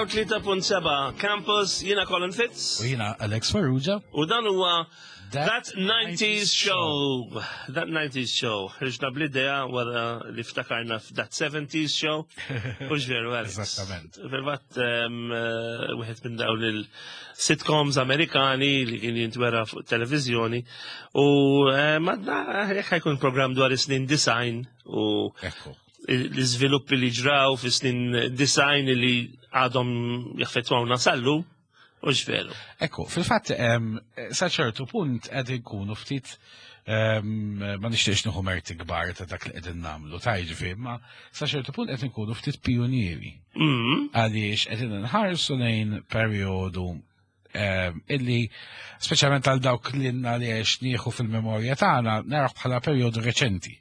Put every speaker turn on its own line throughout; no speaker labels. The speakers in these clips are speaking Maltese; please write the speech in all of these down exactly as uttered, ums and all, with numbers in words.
mija u tlieta punt seba' Campus, jiena Colin Fitz.
U jiena Alex Farrugia.
U dan huwa That nineties Show. That nineties Show. Ħriġna bl-idea wara li ftakarna f'That seventies Show. U veru, Alex?
Eżattament.
Fil-fatt, em, eh, wieħed minn dawn il-sitcoms Amerikani li kien jintwera fuq televizjoni. U eh, madna jekk ħa jkun program dwar is-snin disgħin u
Ekku.
l-iżviluppi li ġraw fi snin disgħin li għadhom jaffettwawna sal-lum, u veru?
Ekku, fil-fatt, em, sa ċertu punt qed ikunu ftit em, ma nixtiex nieħu merti kbar ta' dak li qegħdin nagħmlu, ta' jiġifieri, ma sa ċertu punt qed inkunu ftit pionieri.
Mm.
Għaliex qegħdin nħarsu lejn perjodu em, illi speċjalment għal dawk li li għex nieħu fil-memorja tagħna naraw bħala perjodu reċenti.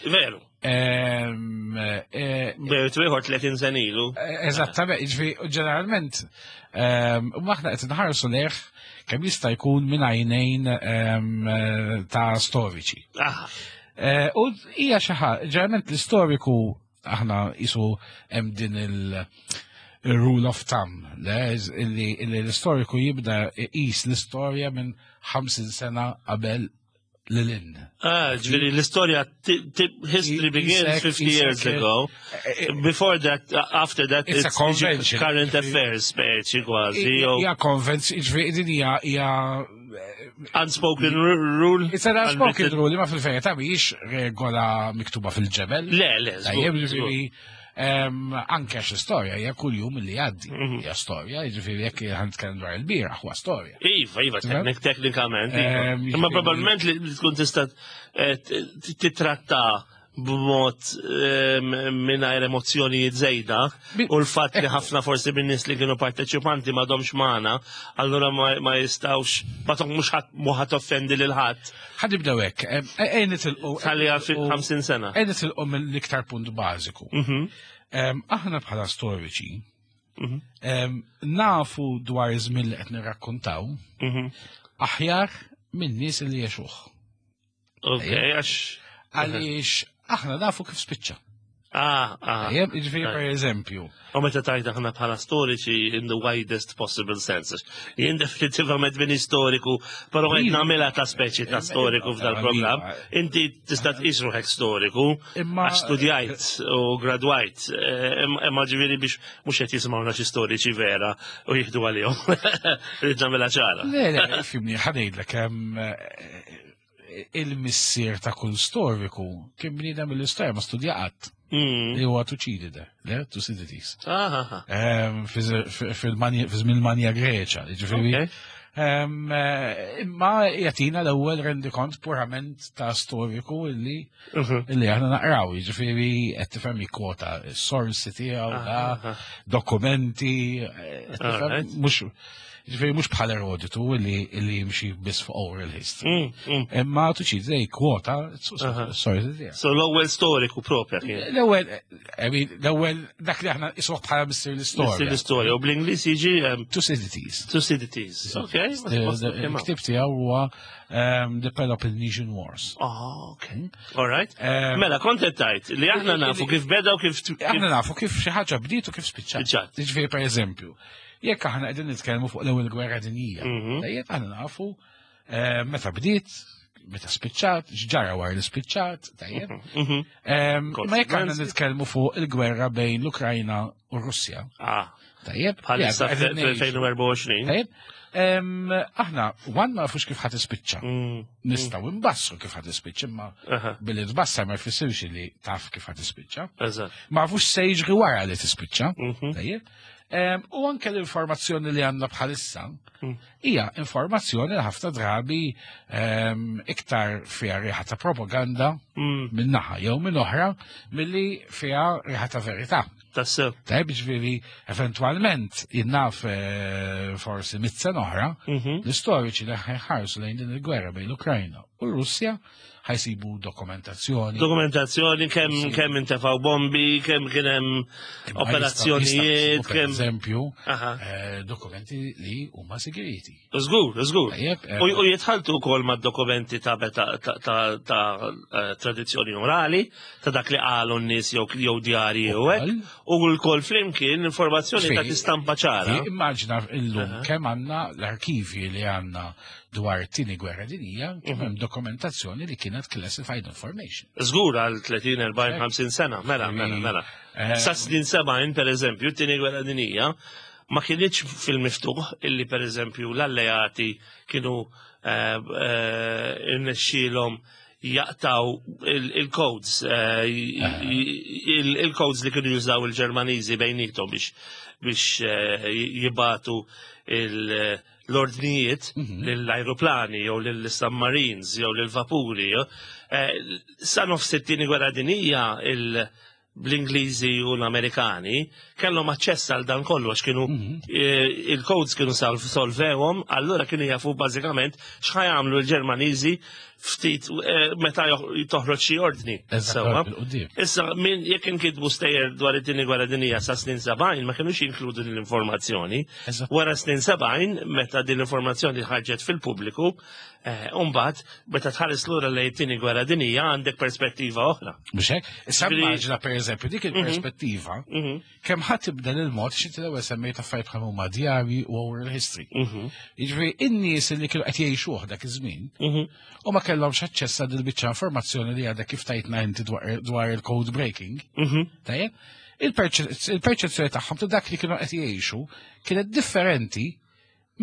Veru.
Em, eh,
Veru, ieħor tletin sena ilu.
Eżattament, jiġifieri, ġeneralment, um, aħna qed nħarsu lejh kemm jista' jkun minn għajnejn em, ta' storiċi.
Ah,
Eh, U hija xi ħaġa, ġeneralment l-istoriku aħna jisu hemm din il- il-rule of thumb, le, illi illi l-istoriku jibda iqis l-istorja minn ħamsin sena qabel lil-in.
Ah, ġifieri l-istorja, ti- ti- history begins
Isek-
fifty years
isek-
ago. Before that, uh, after that,
It's a
it's
convention.
current affairs, speċi kważi, jew
Hija konvenzjoni, ġifieri din hija hija
unspoken ru- rule.
It's an unspoken
Unwritten.
rule, ma fil-verità mhijiex regola miktuba fil-ġebel.
Le, le,
Tajjeb,
żgur, żgur.
ġifieri, em, anke għax l-istorja hija kull jum li jgħaddi.
Mhm.
Hija storja, jiġifieri jekk ħa nitkellem dwar il-bieraħ huwa storja.
Iva, iva, teknik, teknikament. Iva.
Ehm,
Imma
jiġifieri-
probabilment li li tkun tista' eh, t- titratta b'mod ehm, mingħajr emozzjonijiet żejda
Bi-
u l-fatt li ħafna forsi minn nies li kienu parteċipanti m'għadhomx magħna, allura ma ma jistgħux ma tok mhux ħadd mhu ħadd offendi lil ħadd.
Ħa nibdew hekk, em, ejja nitilqu.
Ħalliha fi ħamsin sena.
Ejja nitilqu mill-iktar punt bażiku.
Mhm.
Em, Aħna bħala storiċi,
Mhm.
em, nafu dwar iż-żmien li qed nirrakkontaw
Mhm.
aħjar minn nies li għexuh.
Ok, għax.
Għaliex aħna nafu kif spiċċa.
Ah, ah.
Tajjeb, jiġifieri per eżempju,
U meta tajt aħna bħala storiċi in the widest possible sense. Jien definitivament min istoriku, però qed
Iva.
nagħmilha ta' speċi ta' storiku f'dal-programm.
Iva.
Inti tista' tqis ruħek storiku,
Imma-
għax studjajt u gradwajt, eh, imma imma ġifieri biex mhux qed jisimgħuna xi storiċi vera u jieħdu għalihom. Rrid nagħmilha ċara.
Le, le, ifhimni, ħa ngħidlek, hemm, eh, il-missier ta' kull storiku kien bniedem mill-istorja ma studja qatt
Mm.
li huwa Tuċidide, le, Thucydides.
Ah, ah, ah.
Em, fi żmien Manja Greċa, ġifieri.
Ok.
em, eh, Imma jagħtina l-ewwel rendikont purament ta' storiku illi
Mhm.
illi aħna naqraw, jiġifieri qed tifhem jikkwota s-sorsi tiegħu,
Ah,
da,
ah.
dokumenti, eh, qed tifhem,
Alright.
mhux ġifieri mhux bħal Erodotu illi illi jimxi biss fuq oral history.
Mm, mm.
Imma Tuċidide jikkwota
Aha.
s-sorsi tiegħu.
So l-ewwel storiku propja kien.
L-ewwel, I mean, l-ewwel dak li aħna nqisuh bħala missier
Missier
l-istorja.
l-istorja u bl-Ingliż jiġi um,
Thucydides.
Thucydides. Ok.
Il-ktib tiegħu huwa um, The Peloponnesian Wars.
Oh, ok. All right.
Um,
Mela, kont qed tgħid li aħna nafu kif beda u kif
Aħna nafu kif xi ħaġa bdiet u kif spiċċat.
Spiċċat.
Jiġifieri per eżempju, jekk aħna qegħdin nitkellmu fuq l-ewwel gwerra dinjija,
Mhm.
tajjeb aħna nafu eh, meta bdiet, meta spiċċat, x'ġara wara li spiċċat, tajjeb.
Mhm.
Em, Ma jekk aħna
Consequences.
nitkellmu fuq il-gwerra bejn l-Ukrajna u r-Russja,
Ah,
tajjeb.
bħalissa
li għadna qegħdin ngħixu.
fl-elfejn u erbgħa u għoxrin.
Tajjeb. Em, Aħna, one ma nafux kif ħa tispiċċa.
Mm,
Nistgħu nbassru kif ħa tispiċċa, imma
aha,
billi tbassar ma jfissirx li taf kif ħa tispiċċa.
Eżatt.
Ma nafux se jiġri wara li tispiċċa.
Mhm.
Tajjeb. Em, U anke l-informazzjoni li għandna bħalissa
Mm.
hija informazzjoni li ħafna drabi em, iktar fiha riħa ta' propaganda
Mm,
minn naħa jew minn oħra milli fiha riħa ta' verità.
Tassew.
Tajjeb, ġifieri, eventwalment, jien naf eh, forsi mitt sena oħra,
Mhm.
l-istoriċi li ħarsu lejn din il-gwerra bejn l-Ukrajna u r-Russja ħa jsibu dokumentazzjoni.
Dokumentazzjoni kemm kemm intefgħu bombi, kemm kien hemm operazzjonijiet,
kemm eżempju eh, dokumenti li huma segreti.
Żgur, żgur. Eh, u jitħaltu wkoll mad-dokumenti ta' ta' eh, tradizzjoni orali, ta' dak li qalu n-nies jew djarji u hekk, u l-kol flimkien informazzjoni ta' tistampa ċara.
Immaġina illum kemm għandna l-arkivi li għandna dwar it-tieni gwerra dinjija, kemm hemm dokumentazzjoni li kienet classified information.
Żgur għal tletin, erbgħin, ħamsin sena, mela, mela, mela. Eh, Sa snin sebgħin, per eżempju, t-tieni gwerra dinjija ma kienx fil-miftuħ illi per eżempju l-alleati kienu eh, eh, irnexxielhom jaqtaw il-codes, il-codes li kienu jużaw il-Ġermaniżi bejnietom biex biex jibagħtu l-ordnijiet mhm. lill-ajruplani jew lill-submarines jew lill-vapuri. Eh, sa nofs it-tieni gwerra dinija l-Ingliżi u l-Amerikani kellhom aċċess għal dan kollu għax kienu mhm. eh, il-codes kienu solvewhom, allura kienu jafu bażikament x'ħa jagħmlu l-Ġermaniżi ftit eh, meta toħroġ xi ordni. Issa min jekk inkitbu stejjer dwar it-tieni gwerra dinija sa snin sebgħin ma kinux jinkludu din l-informazzjoni. Wara snin sebgħin meta din l-informazzjoni ħarġet fil-pubbliku, eh, mbagħad meta tħares lura lejn it-tieni gwerra dinija għandek perspettiva oħra.
Mhux hekk? Issa immaġina pereżempju dik mhm. il-perspettiva mhm. kemm ħadd tibdel il-mod xi l-ewwel semmejt affarijiet bħal huma djarji u oral history. Mhm. Jiġifieri in-nies li kienu qed jgħixuh dak iż-żmien u ma kellhomx aċċess għal il-biċċa informazzjoni li għadha kif tajtna inti dwar il-code breaking. Mhm. Tajjeb, il-perċezzjoni tagħhom ta' dak li kienu qed jgħixu kienet differenti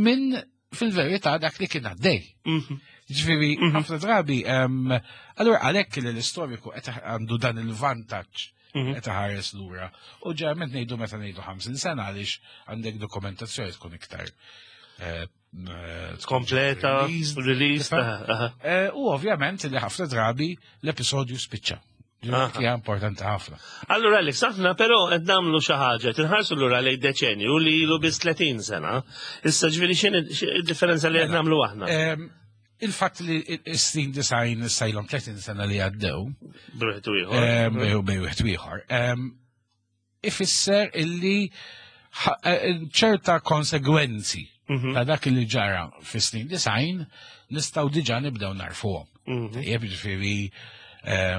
minn fil-verità dak li kien għaddej. Mhm. Ġifieri, mhm. ħafna drabi, allura għalhekk li l-istoriku qed għandu dan il-vantaġġ qed iħares lura. U ġeneralment ngħidu meta ngħidu ħamsin sena għaliex għandek dokumentazzjoni tkun iktar eh,
kompleta, release.
Eh, u ovvjament li ħafna drabi l-episodju spiċċa. Hija importanti ħafna.
Allura Alex, aħna però qed nagħmlu xi ħaġa, tinħarsu lura lejn deċenju li ilu biss tletin sena. Issa ġifieri x'inhi d-differenza li qed nagħmlu aħna?
Il-fatt li s-snin disgħin issa ilhom tletin sena li għaddew.
Bejn ieħor.
Bejn wieħed ieħor. Ifisser illi eh, ċerta konsegwenzi mhm. ta' dak li ġara fis-snin disgħin nistgħu diġà nibdew narfuhom. Mhm. Jeb ġifieri eh,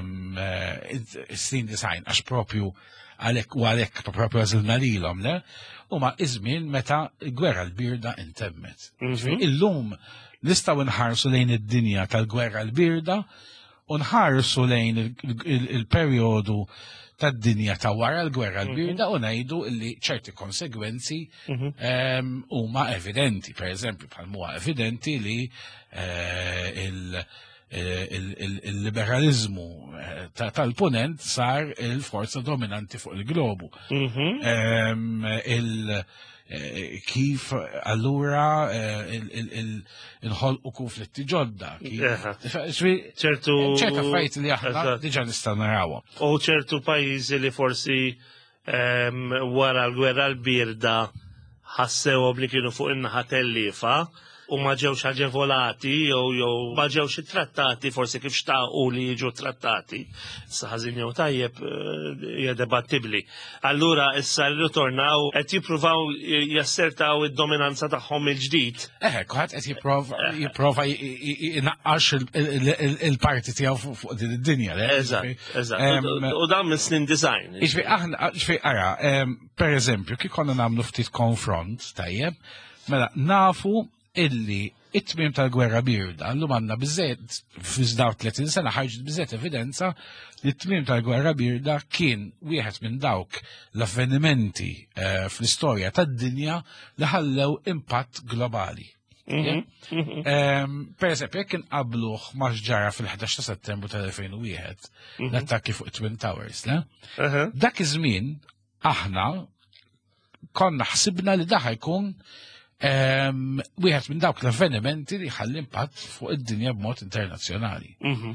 snin disgħin għax propju għalhekk u għalhekk propju għażilna lilhom, le? Huma iż-żmien meta l-gwerra l-birda intemmet. Mhm. Illum nistgħu nħarsu lejn id-dinja tal-gwerra l-birda u nħarsu lejn il-perjodu tad-dinja ta' wara l-gwerra l-birda u ngħidu li ċerti konsegwenzi mhm. ehm, huma evidenti. Per eżempju, bħal huwa evidenti li eh, il-liberalizmu eh, tal-punent sar il-forza dominanti fuq il-globu. Mhm. Ehm, eh, kif allura inħolqu konflitti ġodda.
ċertu
ċerta affarijiet li aħna diġà nistgħu narawhom.
U ċertu pajjiżi li forsi ehm, wara l-gwerra l-birda ħassewhom li kienu fuq in-naħa tellifa u ma ġewx aġevolati jew jew ma ġewx trattati forsi kif xtaqu li jiġu trattati. Issa ħażin jew tajjeb eh, hija debattibbli. Allura issa rritornaw qed jippruvaw jassertaw id-dominanza tagħhom il-ġdid.
Eħe, kulħadd qed jipprova jipprova jnaqqax il-parti tiegħu fuq din id-dinja.
Eżatt, eżatt. U dan minn snin disgħin.
Iġbi aħna, ġifieri ara, per eżempju, kif konna nagħmlu ftit konfront, tajjeb, mela nafu illi it-tmiem tal-gwerra birda, llum għandna biżżejjed, f'daw tletin sena ħarġet biżżejjed evidenza li t-tmiem tal-gwerra birda kien wieħed minn dawk l-avvenimenti eh, fl-istorja tad-dinja li ħallew impatt globali. Mhm, mhm. Ehm, per eżempju, jekk inqabluh ma' ġara fil-ħdax ta' Settembru tal-elfejn u wieħed, mhm. l-attakki fuq Twin Towers, le? Dak iż-żmien aħna konna ħsibna li daħ jkun ehm, wieħed minn dawk l-avvenimenti li ħalli impatt fuq id-dinja b'mod internazzjonali. Mhm.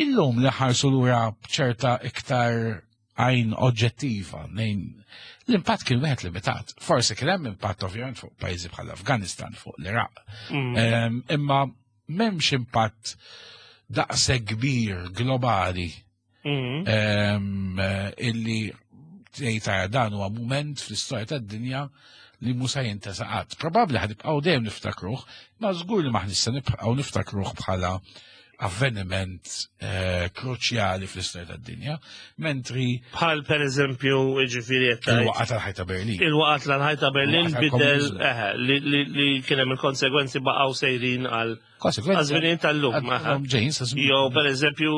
Illum li ħarsu lura b'ċerta iktar għajn oġġettiva, nejn l-impatt kien wieħed limitat. Forsi kien hemm impatt ovvjament fuq pajjiżi bħal Afganistan, fuq l-Iraq. Mhm. Ehm, imma m'hemmx impatt daqshekk kbir globali
Mhm.
em, eh, illi tgħid dan huwa mument fl-istorja tad-dinja li mhux se jintesa qatt. Probabbli ħa nibqgħu dejjem niftakruh, ma żgur li m'aħniex se nibqgħu niftakruh bħala avveniment eh, kruċjali fl-istorja tad-dinja, mentri
Bħal per eżempju, ġifieri qed tgħid,
il-waqgħa tal-ħajt ta' Berlin.
Il-waqgħa tal-ħajt ta' Berlin
Il-waqgħa
bidel
tal-komuniżmu.
eħe, li, li, li kien hemm il-konsegwenzi baqgħu sejrin għal
Konsegwenzi
għaż-żmien tal-lum. aha.
għadhom ġejjin sa żmien.
Jew per eżempju,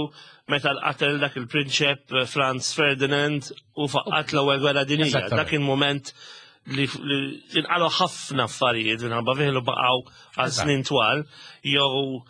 meta qatel dak il-prinċep eh, Franz Ferdinand u faqqat l-ewwel gwerra dinjija.
Eżattament.
Dak il-moment li li inqalgħu ħafna affarijiet minħabba fih li baqgħu għal
Eżatt.
snin twal, jew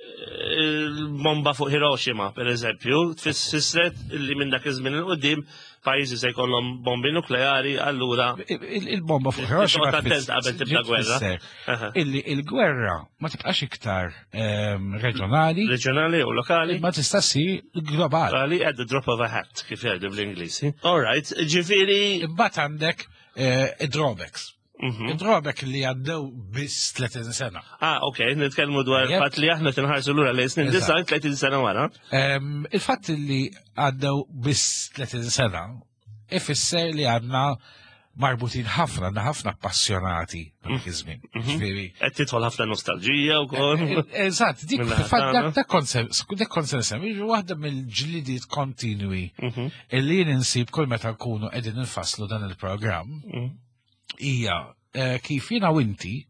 eh, il-bomba fuq Hiroshima, per eżempju, tfissret li minn dak iż-żmien 'il quddiem pajjiżi se jkollhom bombi nukleari, allura
Il- Il-bomba fuq Hiroshima
Toqgħod attent qabel tibda gwerra.
tfisser
Aha.
illi il-gwerra ma tibqax iktar ehm, reġjonali,
reġjonali u lokali.
ma tista' ssir globali.
Lokali at the drop of a hat, kif jgħidu bl-Ingliż. All right, ġifieri.
Imbagħad għandek eh, id-drawbacks.
Mhm.
Id-drawback li għaddew biss tletin sena.
Ah, ok, nitkellmu dwar
Yep.
il-fatt li aħna tinħarsu lura lejn snin
Eżatt.
disgħin tletin sena wara.
Ehm, Il-fatt li għaddew biss tletin sena ifisser li għadna marbutin ħafna, għandna ħafna appassionati dak iż-żmien. Ġifieri,
Qed tidħol ħafna nostalġija wkoll.
Eżatt, dik
Mill-naħa
fil-fatt
tagħna.
dak dak konsens dak konsens jiġu waħda mill-ġlidiet kontinwi
Mhm,
illi jien insib kull meta nkunu qegħdin infasslu dan il-programm
mhm.
hija eh, kif jiena u inti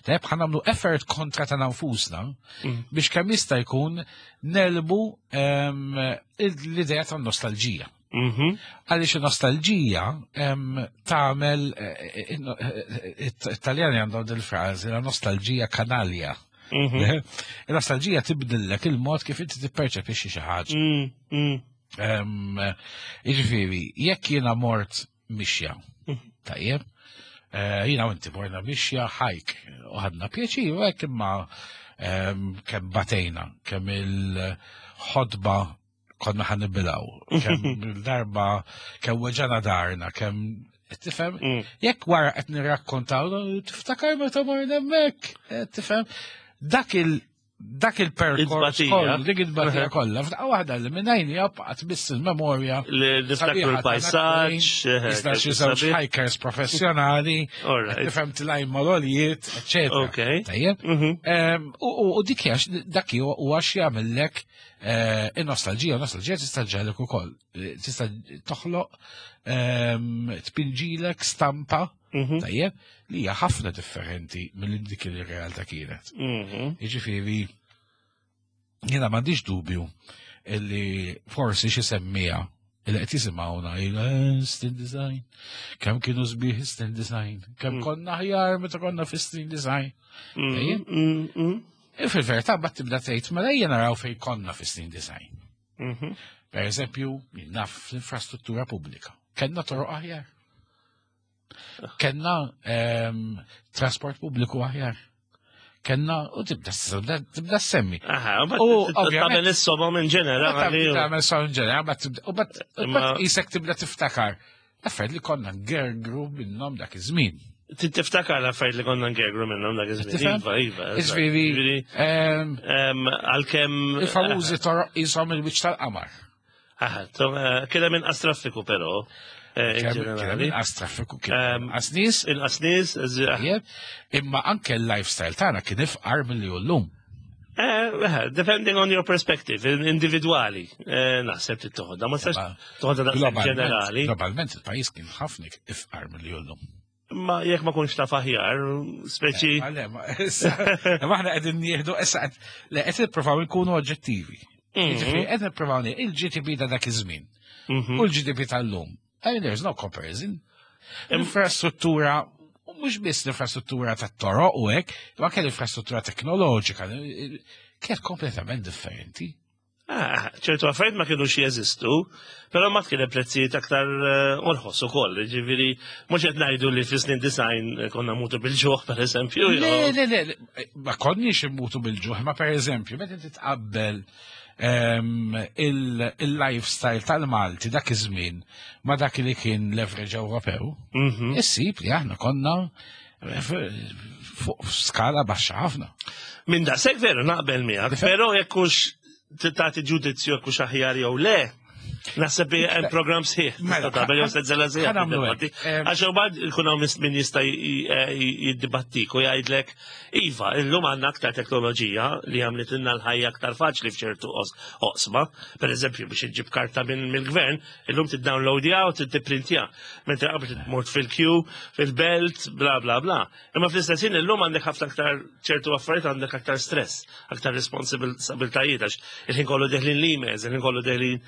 tajjeb ħa nagħmlu effort kontra ta' nfusna
Mm.
biex kemm jista' jkun negħlbu ehm, l-idea ta' nostalġija.
Mhm.
Għaliex il-nostalġija em, tagħmel eh, eh, eh, it-Taljani għandhom dil-frażi la nostalgia canaglia.
Mhm.
Il-nostalġija tibdillek il-mod kif inti tipperċepixxi xi ħaġa.
Mm, mm.
Em, Jiġifieri, jekk jiena mort mixja, tajjeb, eh, jiena u inti morna mixja hike u ħadna pjaċir, u hekk imma em, kemm batejna, kemm il-ħodba konna ħa nibilgħu, kemm il-darba, kemm weġgħana daharna, kemm tifhem,
Mm.
jekk wara qed nirrakkontaw, tiftakar meta morna hemmhekk, eh, tifhem, dak il dak il-perkors
It-tbatija.
kollu, dik it-tbatija kollha, f'daqqa waħda li minnajni baqgħet biss il-memorja.
Li niftakru l-pajsaġġ, eh,
Iżda xi żewġ
sabiħ.
hikers professjonali,
All right.
tifhem tilgħin mal-għoljiet, eċetera.
Ok.
Tajjeb.
Mhm.
Em, U u- u dik hija dak huwa x'jagħmellek eh, in-nostalġija, nostalġija tista' ġġegħlek ukoll. Eh, Tista' toħloq em, tpinġilek stampa
Mhm.
tajjeb li hija ħafna differenti mill dik li realtà kienet.
Mhm.
Jiġifieri jiena m'għandix dubju illi forsi xi semmija illi qed jisimgħuna jgħidu "Eh, snin disgħin, kemm kienu sbieħ snin disgħin, kemm
Mm.
konna aħjar meta konna fi snin disgħin.
Mhm. Mm, mm.
E fil-verità mbagħad tibda tgħid mela ejja naraw fejn konna fi snin disgħin.
Mhm.
Per eżempju, naf l-infrastruttura pubblika. Kenna toroq aħjar. Kenna ehm, trasport pubbliku aħjar. Kenna, u tibda tibda semmi.
Aha, u
U,
bat
ovvjament-
tagħmel is-somom in ġenerali.
Tagħmel sound ġenerali, bat tibda- u bat u
Imma-
bat isek tibda tiftakar. Affarijiet li konna ngergru minnhom dak iż-żmien.
Tiftakar l-affarijiet li konna ngergru minnhom dak iż-żmien.
Tifhem?
Iva, iva. eżatt.
Jiġifieri,
Ġifieri,
ehm,
em, Għalkemm.
il-famużi toroq jisom il-wiċċ tal-qamar.
Aha, to- eh, kien hemm inqas traffiku però. eh, in
Kien hemm
ġenerali.
inqas traffiku, kien
Ehm,
inqas nies,
Inqas nies, eż-
tajjeb, imma anke l-lifestyle tagħna kien ifqar milli hu llum.
Eh, eh, depending on your perspective, in- individuali, eh, naħseb li toħodha, ma tistax
Imma
toħodha daqshekk
Globalment,
ġenerali.
globalment il-pajjiż kien ħafna ifqar milli hu llum.
Ma jekk ma kunx taf aħjar, speċi.
Ma le, ma issa- ma aħna qegħdin nieħdu issa qed le qed nippruvaw nkunu oġġettivi.
Mhm.
Jiġifieri qed nippruvaw nie- il-G D P ta' dak iż-żmien
Mhm.
u l-G D P tal-lum. I mean, there's no comparison. L-infrastruttura, u mhux biss l-infrastruttura tat-toroq u hekk, imma anke l-infrastruttura teknoloġika kienet kompletament differenti.
Ah, ċertu affarijiet ma kienux jeżistu, però ma kien hemm prezzijiet aktar eh, orħos ukoll, ġifieri mhux qed ngħidu li fis-snin disgħin konna mutu bil-ġuħ pereżempju.
Le,
jew-
le, le, le, ma konniex immutu bil-ġuħ, ma per eżempju, meta inti tqabbel em, il- il-lifestyle tal-Malti dak iż-żmien ma dak li kien l-average Ewropew,
Mhm.
issib li aħna konna eh, f- fuq skala baxxa ħafna.
Minn daqshekk veru naqbel miegħek, però jekk hux Tagħti ġudizzju jekk hux aħjar jew le. Naħseb li hemm programm sħiħ.
Mela,
Tista' tagħmel jew sensiela sħiħa
ħa nagħmlu
tiddibatti.
hekk. Em,
Għax imbagħad ikun hawn min jista' jiddibattik u jgħidlek, iva, illum għandna aktar teknoloġija li għamlitilna l-ħajja aktar faċli f'ċertu os- oqsma. Per eżempju, biex iġġib karta minn mill-gvern, illum tiddownloadja u tipprintja. Mentre qabel tmur fil-queue, fil-belt, bla bla bla. Imma fl-istess ħin illum għandek ħafna aktar ċertu affarijiet, għandek aktar stress, aktar responsabiltajiet, għax il-ħin kollu deħlin l-emails, il-ħin kollu deħlin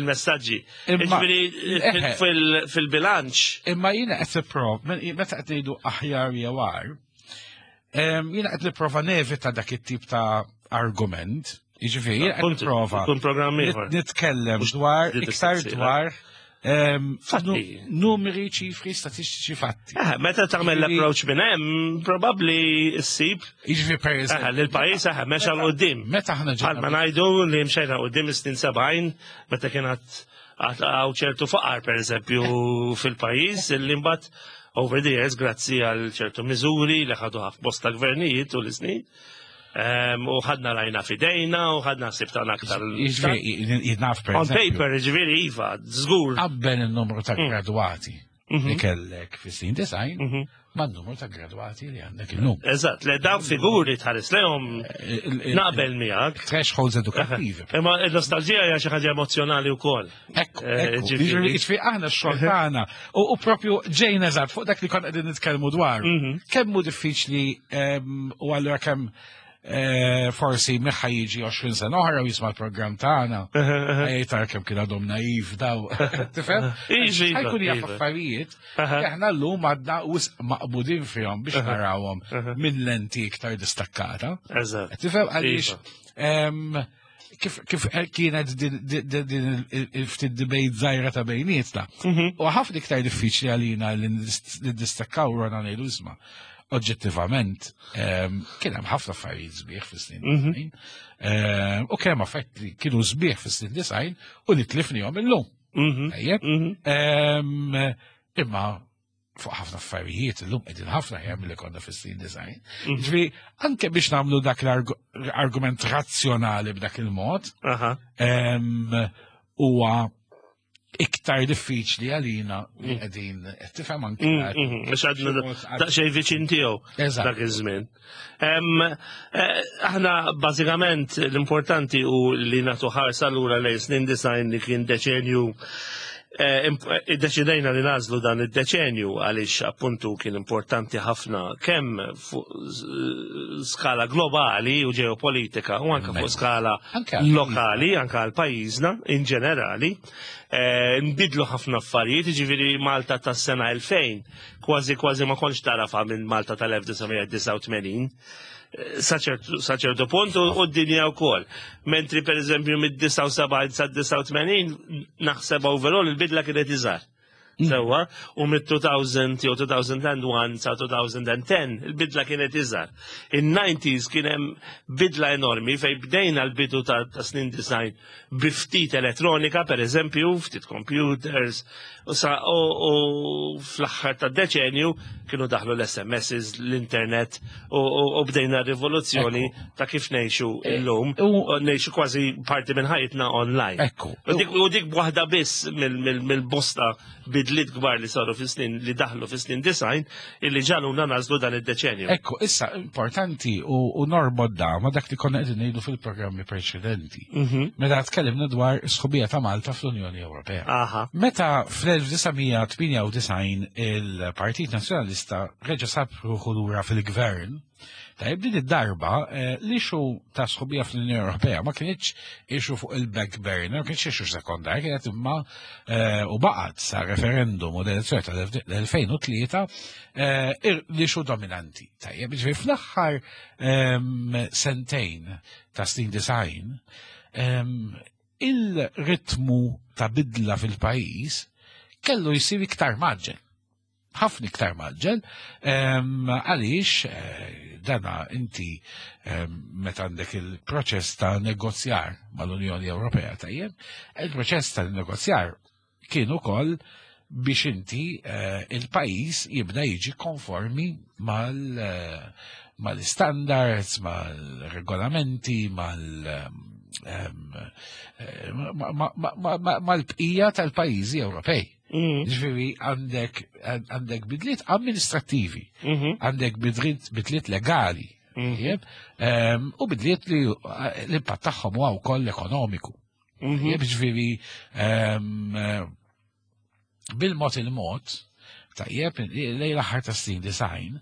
il-messaġġi.
Imma-
Ġifieri
Eħe.
fil- fil-bilanċ.
Imma jiena qed nipprova, meta qed ngħidu aħjar jew agħar, em, jiena qed nipprova nevita dak it-tip ta' argument. Jiġifieri jiena qed
Punt,
nipprova
Kun programm ieħor.
nit- nitkellem dwar
di
iktar
distanzi,
dwar em,
Fatti.
nu- numeri, ċifri, statistiċi, fatti.
Eh, meta tagħmel
Ġifieri-
l-approach minn hemm, probabbli ssib
Jiġifieri per
eh,
eżempju,
li l-pajjiż eh, mexa 'l quddiem.
meta aħna
Bħalma
ġejna
ngħidu li mxejna quddiem is-snin sebgħin meta kien għad għaw ċertu faqar, per eżempju, fil-pajjiż, illi mbagħad over the years, grazzi għal ċertu miżuri li ħadu ħaf bosta gvernijiet u l-snin, em, u ħadna rajna fidejna u ħadna sibtana aktar.
Jiġifieri jien naf per
On
eżempju,
paper, ġifieri, iva, żgur.
Qabbel il-numru ta' gradwati li
Mhm.
kellek fis-snin disgħin
Mhm.
man-numru ta' gradwati li għandek illum.
Eżatt, le dawn figuri tħares lehom naqbel miegħek.
Thresholds edukattivi.
Imma il-nostalġija hija xi ħaġa emozjonali wkoll.
Ekku,
Eh,
ekku.
ġifieri.
Ġifieri ġifieri aħna x-xogħol tagħna u u propju ġejna eżatt fuq dak li konna qegħdin nitkellmu dwar.
Mhm.
Kemm hu diffiċli em, u allura kemm eh, forsi min ħa jiġi għoxrin sena oħra u jisma' l-programm tagħna. Jgħid kemm kien għadhom naiv daw. Tifhem?
Iġi,
Ħa jkun jaf
iva.
affarijiet
Aha.
li aħna llum għadna wisq maqbudin fihom biex narawhom minn lenti iktar distakkata.
Eżatt.
Tifhem għaliex
Iva.
em, kif kif kienet din din- din il-ftit debate żgħira ta' bejnietna.
Mhm.
U ħafna iktar diffiċli għalina li nidistakkaw rona ngħidu, isma', oġġettivament em, kien hemm ħafna affarijiet sbieħ fis-snin
Mhm.
disgħin. Em, U kemm affetti li kienu sbieħ fis-snin disgħin u li tlifnihom illum.
Mhm.
Tajjeb?
Mhm.
Em, Imma fuq ħafna affarijiet illum qegħdin ħafna aħjar milli konna fis-snin disgħin.
Mhm.
Ġifieri anke biex nagħmlu dak l-argument razzjonali b'dak il-mod,
Aha.
em, huwa iktar diffiċli għalina li qegħdin qed tifhem anke
Mm, mhm. Biex għadna daqsxejn viċin tiegħu
Eżatt.
dak iż-żmien. Em, eh, Aħna bażikament l-importanti u li nagħtu ħarsa lura lejn snin disgħin li kien deċenju eh, imp- eh, Iddeċidejna li nagħżlu dan id-deċenju għaliex appuntu kien importanti ħafna kemm fuq s- skala globali u ġeopolitika u anke fuq skala
Anke għal
lokali, anke għal pajjiżna in ġenerali. Eh, Nbidlu ħafna affarijiet, ġifieri Malta tas-sena elfejn, kważi kważi ma kontx tarafa minn Malta tal-elf disa' mija disgħa u tmenin sa ċertu sa ċertu punt u u d-dinja wkoll. Mentri per eżempju mid-disgħa u sebgħin sa disgħa u tmenin naħseb overall il-bidla kienet iżgħar. Sewwa, u mid-elfejn jew elfejn u wieħed sa elfejn u għaxra il-bidla kienet iżgħar. In-nineties kien hemm bidla enormi fej bdejna l-bidu ta', ta snin disgħin bi ftit elettronika, per eżempju, ftit computers, u, sa, u, u fl-aħħar ta' deċenju kienu daħlu l-S M Ss, l-internet, u, u, u bdejna rivoluzzjoni ta' kif ngħixu illum,
u-
u ngħixu kważi parti minn ħajtna online.
Ekku.
U dik, u dik waħda biss mill- mill-bosta bidliet kbar li saru fis-snin li daħlu fis-snin disgħin illi ġagħluna nagħżlu dan id-deċenju.
Ekku, issa importanti u, u norbot da ma dak li konna qegħdin ngħidu fil-programmi preċedenti.
Mhm.
Meta tkellimna dwar sħubija ta' Malta fl-Unjoni Ewropea.
Aha.
Meta fl-elf disa' mija tmienja u disgħin il-Partit Nazzjonalista reġa' sab ruħu lura fil-gvern, tajjeb, din id-darba eh, l-issue ta' sħubija fl-Unjoni Ewropea ma kienx issue fuq il-back burner, ma kienx issue sekondar, kienet imma eh, u baqgħet sa referendum u l-elezzjoni tal-elfejn u tlieta eh, l-issue dominanti. Tajjeb, ġifieri fl-aħħar ehm, sentejn ta' snin disgħin, ehm, il-ritmu ta' bidla fil-pajjiż kellu jisir iktar mgħaġġel. Ħafna iktar mgħaġġel, em, għaliex eh, dana inti em, meta għandek il-proċess ta' negozjar mal-Unjoni Ewropea, tajjeb, il-proċess ta' negozjar kien ukoll biex inti eh, il-pajjiż jibda jiġi konformi mal eh, mal-standards, mal-regolamenti, mal- em, eh, ma- ma- ma- ma- ma- mal-bqija tal-pajjiżi Ewropej.
Mhm.
Ġifieri għandek għandek bidliet amministrattivi,
Mhm.
għandek bidliet bidliet legali,
Mhm.
tajjeb, em, u bidliet li l-impatt tagħhom huwa wkoll ekonomiku.
Mhm.
Tajjeb, ġifieri em, eh, bil-mod il-mod, tajjeb, lejn l-aħħar ta' snin disgħin,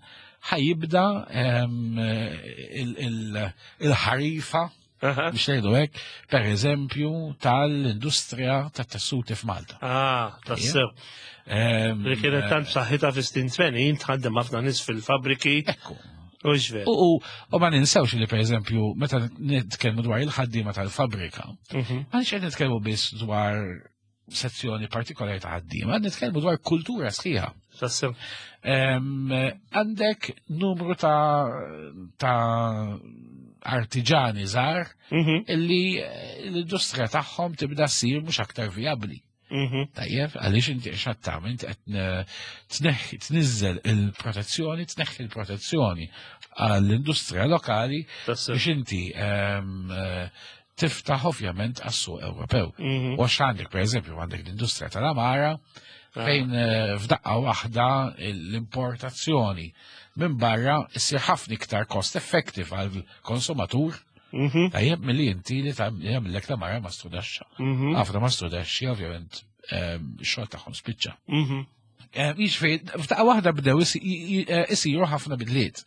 ħa jibda em, il- il- il-ħarifa
Aha.
biex ngħidu hekk, per eżempju, tal-industrija tat-tessuti f'Malta.
Ah, tassew.
Em,
Li kienet tant b'saħħitha fis-snin tmenin, tħaddem ħafna nies fil-fabriki.
Ekku.
U ġver.
U, u, u ma ninsewx li per eżempju, meta nitkellmu dwar il-ħaddiema tal-fabrika,
Mhm.
m'aħniex qed nitkellmu biss dwar sezzjoni partikolari ta' ħaddiema, nitkellmu dwar kultura sħiħa.
Tassew.
Em, Għandek numru ta' ta' artiġani żgħar
Mhm.
illi eh, l-industrija tagħhom tibda ssir mhux aktar vijabbli.
Mhm.
Tajjeb, għaliex inti x'qed tagħmel, inti qed eh, tneħħi tniżżel il-protezzjoni, tneħħi il-protezzjoni għall-industrija lokali
Tassew.
biex inti ehm, eh, tiftaħ ovvjament għas-suq Ewropew.
Mhm.
U għax għandek, per eżempju, għandek l-industrija tal-għamara, fejn eh, f'daqqa waħda l-importazzjoni minn barra issir ħafna iktar cost effective għal-konsumatur
Mhm.
tajjeb milli inti li tagħmellek l-għamara mastrudaxxa.
Mhm.
Ħafna mastrudaxxi ovvjament ehm, ix-xogħol tagħhom spiċċa.
Mhm.
Jiġifieri, f'daqqa waħda bdew isi- i- i- isiru ħafna bidliet.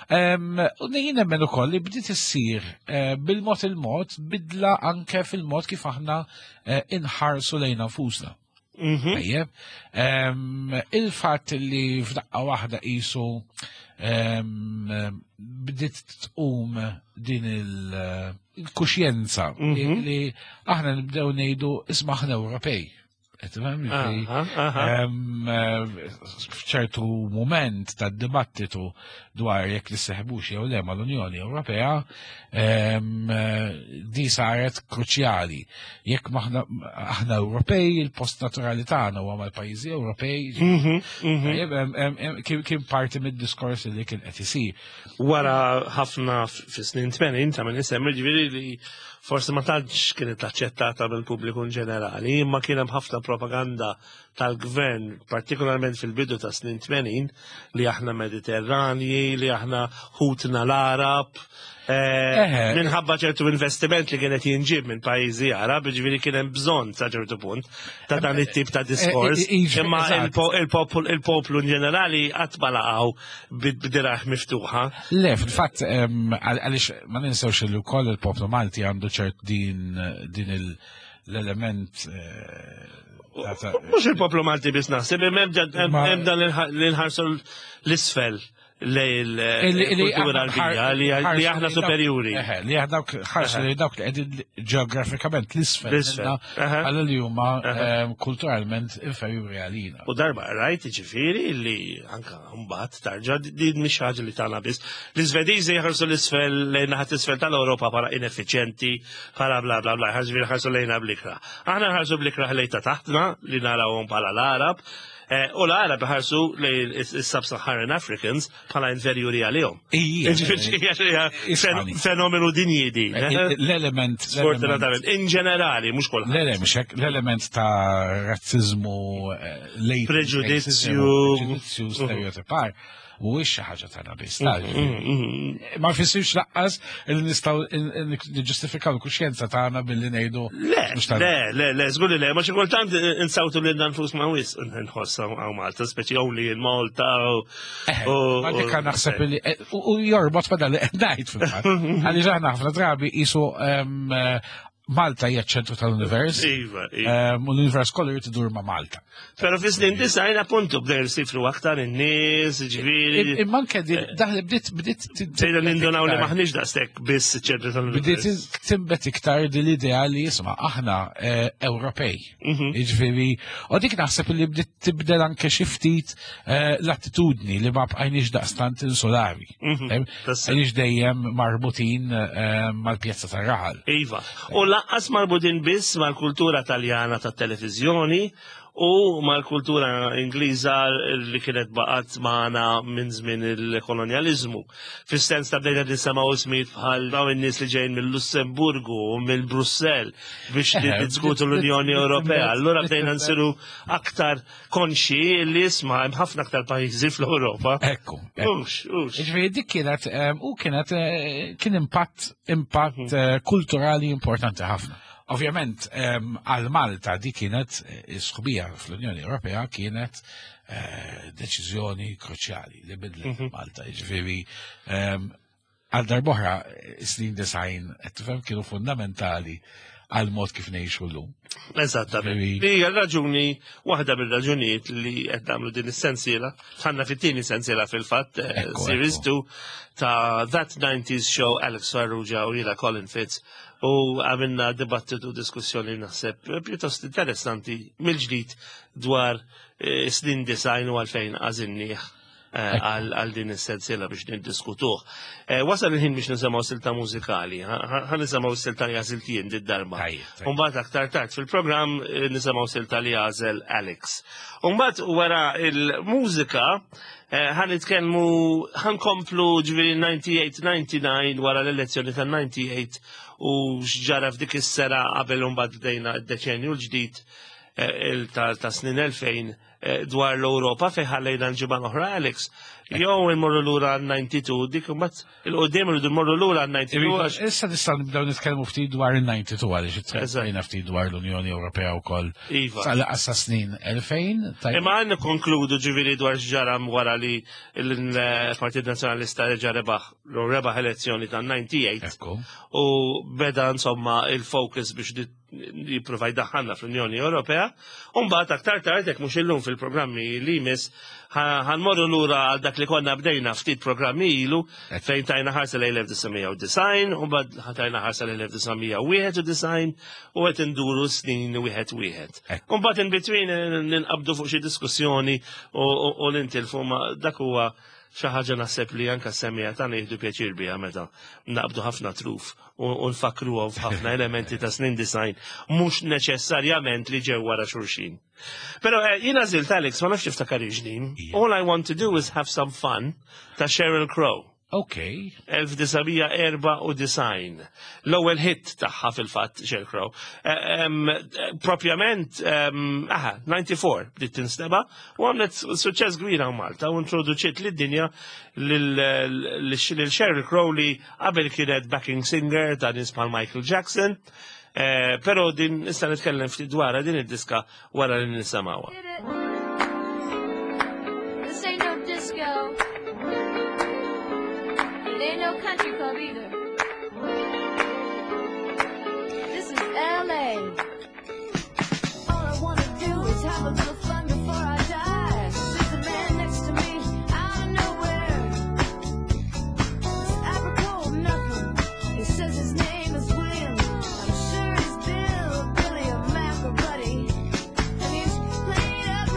Em, U jien nemmen ukoll li bdiet issir eh, bil-mod il-mod bidla anke fil-mod kif aħna eh, inħarsu lejn nfusna.
Mhm.
Tajjeb, Em, il-fatt li f'daqqa waħda qisu em, bdiet tqum din il- il-kuxjenza li
Mhm.
li aħna nibdew ngħidu isma' aħna Ewropej. Qed tifhem? Ġifieri,
Aha, aha.
Em, eh, f'ċertu moment tad-dibattitu dwar jekk nisseħbux jew le mal-Unjoni Ewropea, em, eh, di saret kruċjali. Jekk maħna aħna Ewropej, il-post naturali tagħna huwa mal-pajjiżi Ewropej.
Mhm. Mhm.
Tajjeb, em, em, em, Kien kien parti mid-diskors li kien qed isir.
Wara ħafna fis-snin tmenin ta' min isemmi ġifieri li forsi ma tantx kienet aċċettata mill-pubbliku in ġenerali, imma kien hemm ħafna propaganda tal-gvern, partikolarment fil-bidu ta' snin tmenin, li aħna Mediterranji, li aħna ħutna l-Arab, eh,
Eħe.
minħabba ċertu investiment li kienet jinġib minn pajjiżi Arab, ġifieri kien hemm bżonn sa ċertu punt ta' dan it-tip ta' diskors.
Eh, eh,
Imma
eżatt.
il-po- il-poplu il-poplu in ġenerali qatt ma laqgħu b'dirgħajh miftuħa.
Le, fil-fatt, em, għal- għaliex ma ninsewx li wkoll il-poplu Malti għandu ċert din din il- l-element eh, ta' ta'
Mhux il-poplu Malti biss naħseb, hemm hemm
Ma-
hemm dan li nħarsu l-isfel lej
Illi- illi
il-kultura
aħna
Għarbija li
ħarsu
li aħna
lejn dawk-
superjuri.
Eħe, li aħna dawk ħarsu li dawk li qegħdin ġeografikament l-isfel
L-isfel,
minna,
aha.
għal li huma
Aha.
em, kulturalment inferjuri għalina.
U darba rajt ġifieri li anka mbagħad tarġa' din mhix ħaġa li tagħna biss. L-Iżvediżi jħarsu l-isfel lejn naħat isfel tal-Ewropa bħala ineffiċjenti, bħala bla bla bla, ġifieri ħarsu lejna bl-ikrah. Aħna nħarsu bl-ikrah lejn ta' taħtna li narawhom bħala l-Arab, eh, u l-Arab ħarsu lejn is-Sub-Saharan Africans bħala inferjuri għalihom.
Ija,
Ġifieri hija
Ismani.
fenomenu dinji din. eh?
L-element,
Sfortunatament, in ġenerali, mhux kulħadd.
l-element, l-element ta' razzizmu, eh, latent
Preġudizzju.
racism, preġudizzju, stereotipar, mhuwiex xi ħaġa tagħna biss. ta'
Mm,
Ma jfissirx lanqas li nistgħu niġġustifikaw il-kuxjenza tagħna billi ngħidu
Le,
mhux tagħna.
le, le, le, żgur li le, ma xi kultant insawtu lil nfusna wisq nħoss hawn Malta, speċi only in Malta. u- u-
Ma dik
u-
naħseb li u u jorbot ma dan li qed ngħid fil-fatt. Għaliex aħna ħafna drabi qisu em, eh, Malta hija ċ-ċentru tal-univers.
Iva, iva.
em, U l-univers kollu jrid idur ma' Malta.
Pero fi snin disgħin appuntu bdew jsifru aktar in-nies, ġifieri.
Imma anke din daħli bdiet bdiet
Sejna nindunaw li maħniex daqshekk biss ċentru
Bdiet
tal-univers.
timbet iktar din l-idea li jisma' aħna eh, Ewropej.
Mhm.
Jiġifieri, u dik naħseb li bdiet tibdel anke xi ftit eh, l-attitudni li ma bqajniex daqstant insulari.
Mhm.
Eh,
Tassew.
Għaliex dejjem marbutin eh, mal-pjazza tar-raħal.
Iva. U lanqas marbutin biss mal-kultura taljana tat-televiżjoni u mal-kultura Ingliża li kienet baqgħet magħna minn żmien il-kolonjaliżmu. Fis-sens ta' bdejna nisimgħu ismijiet bħal dawn in-nies li ġejjin mill-Lussemburgu u mill-Brussell biex niddiskutu l-Unjoni Ewropea. Allura bdejna nsiru aktar konxi li isma' hemm ħafna aktar pajjiżi fl-Ewropa.
Ekku.
Ux, ux.
Ġifieri dik kienet u kienet kien impatt impatt mhm. kulturali importanti ħafna. Ovvjament, għal Malta di kienet is-sħubija fl-Unjoni Ewropea kienet eh, deċiżjoni kruċjali li bidlet mhm. Malta. Ġifieri għal darb'oħra snin disgħin qed tifhem kienu fundamentali għal mod kif ngħixu llum.
Eżattament. Hija raġuni waħda mill-raġunijiet li qed nagħmlu din is-sensiela, tħanna fit-tieni sensiela fil-fatt, eh, series two ta' That nineties Show, Alex Farrugia u jiena Colin Fitz, u għamilna dibattitu, diskussjoni naħseb pjuttost interessanti mill-ġdid dwar eh, snin disgħin u għalfejn għażilnieh eh, għal din is-sensiela biex niddiskutuh. Eh, wasal il-ħin biex nisimgħu silta mużikali. Ħa nisimgħu silta li għażilt jien did-darba. Umbagħad aktar tard fil-programm nisimgħu silta li għażel Alex. Umbagħad wara il-mużika ħa nitkellmu, ħa nkomplu ġifieri disgħa u disgħin disgħa u disgħin, wara l-elezzjoni tal-disgħa u disgħin u x'ġara f'dik is-sena qabel mbagħad bdejna d-deċenju l-ġdid ta' snin elfejn dwar l-Ewropa fejn ħallejna l-ġimgħa l-oħra, Alex. Jew immorru lura għal disgħa u disgħin, dik imbagħad 'il quddiem irridu mmorru lura għal disgħa u disgħin.
Issa nistgħu nibdew nitkellmu ftit dwar il-disgħa u disgħin għaliex itkellimna ftit dwar l-Unjoni Ewropea wkoll.
Iva.
Sal snin elfejn.
Imma għan konkludu ġifieri dwar x'ġara wara li l-Partit Nazzjonalista reġa' rebaħ rebaħ elezzjoni ta' disgħa u disgħin u beda insomma il-focus biex jipprova jdaħħalna fl-Unjoni Ewropea. Umbagħad aktar tard, jekk mhux illum, fil-programmi li jmiss, ħa nmorru lura għal dak li konna bdejna ftit programmi ilu fejn tajna ħarsa lejn elf disa' mija u disgħin, u mbagħad tajna ħarsa lejn elf disa' mija u wieħed u disgħin u qed induru snin wieħed wieħed. U mbagħad in between ninqabdu fuq xi diskussjoni u nintilfu, ma dak huwa xi ħaġa naħseb li anka semmiegħa tagħna jieħdu pjaċir biha meta naqbdu ħafna truf u nfakruhom f'ħafna elementi ta' snin disgħin mhux neċessarjament li ġew wara xulxin. Però eh, jiena għażilt, Alex, ma nafx tiftakar ġdin. All I Want to Do Is Have Some Fun ta' Sheryl Crow.
Ok.
elf disa' mija u erbgħa u disgħin. L-ewwel hit tagħha fil-fatt Sheryl Crow. Eh, propjament, aha, disgħa u disgħin bdiet tinstema' u għamlet suċċess kbir hawn Malta u introduċiet lid-dinja lil Sheryl Crow li qabel kienet backing singer ta' nies bħal Michael Jackson. Eh, però din nista' nitkellem ftit dwarha din id-diska wara li nisimgħuha.
This ain't no disco. It ain't no country club either. This is L A. All I wanna do is have a little fun before I die. There's a man next to me out of nowhere. It's apropos of nothing. He says his name is William. I'm sure he's Bill, Billy, or Mac or Buddy. And he's played up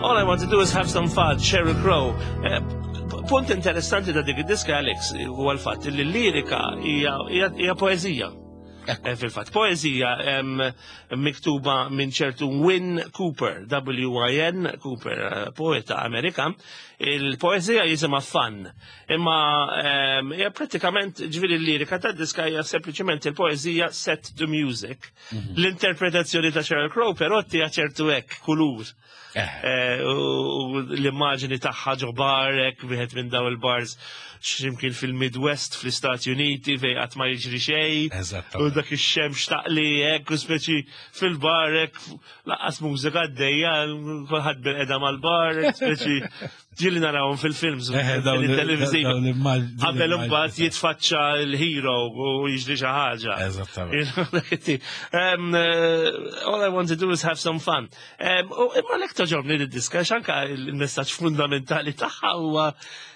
All I Want to Do Is Have Some Fun, Sheryl Crow. Eh, punt interessanti ta' dik id-diska, Alex, huwa l-fatt li l-lirika hija hija poeżija. Eh, Fil-fatt, poeżija em, miktuba minn ċertu Win Cooper, W I N Cooper, eh, poeta Amerikan. Il-poeżija jisimha Fun. Imma em, hija pratikament, ġifieri l-lirika ta' diska hija sempliċement il-poeżija set to music. L-interpretazzjoni ta' Sheryl Crow però tija ċertu hekk kulur.
Eh,
Eh, u l-immaġini tagħha ġo bar, hekk, wieħed minn daw il-bars x'imkien fil-Midwest fl-Istati Uniti fejn qatt ma jiġri xejn. U
Eżattament.
dak ix-xemx taqli hekk u speċi fil-bar hekk, lanqas mużika għaddejja, kulħadd bil-qeda mal-bar, hekk, speċi ġieli narawhom fil-films,
Eh, dawn
fil-televiżivi.
dawn l-immaġni-
Qabel imbagħad jitfaċċa l-hero u jiġri xi ħaġa.
Eżattament.
You know, dak it-tip. Um, uh, all I want to do is have some fun. Um, u imma lek togħġobni d-diska, anka il-messaġġ fundamentali tagħha huwa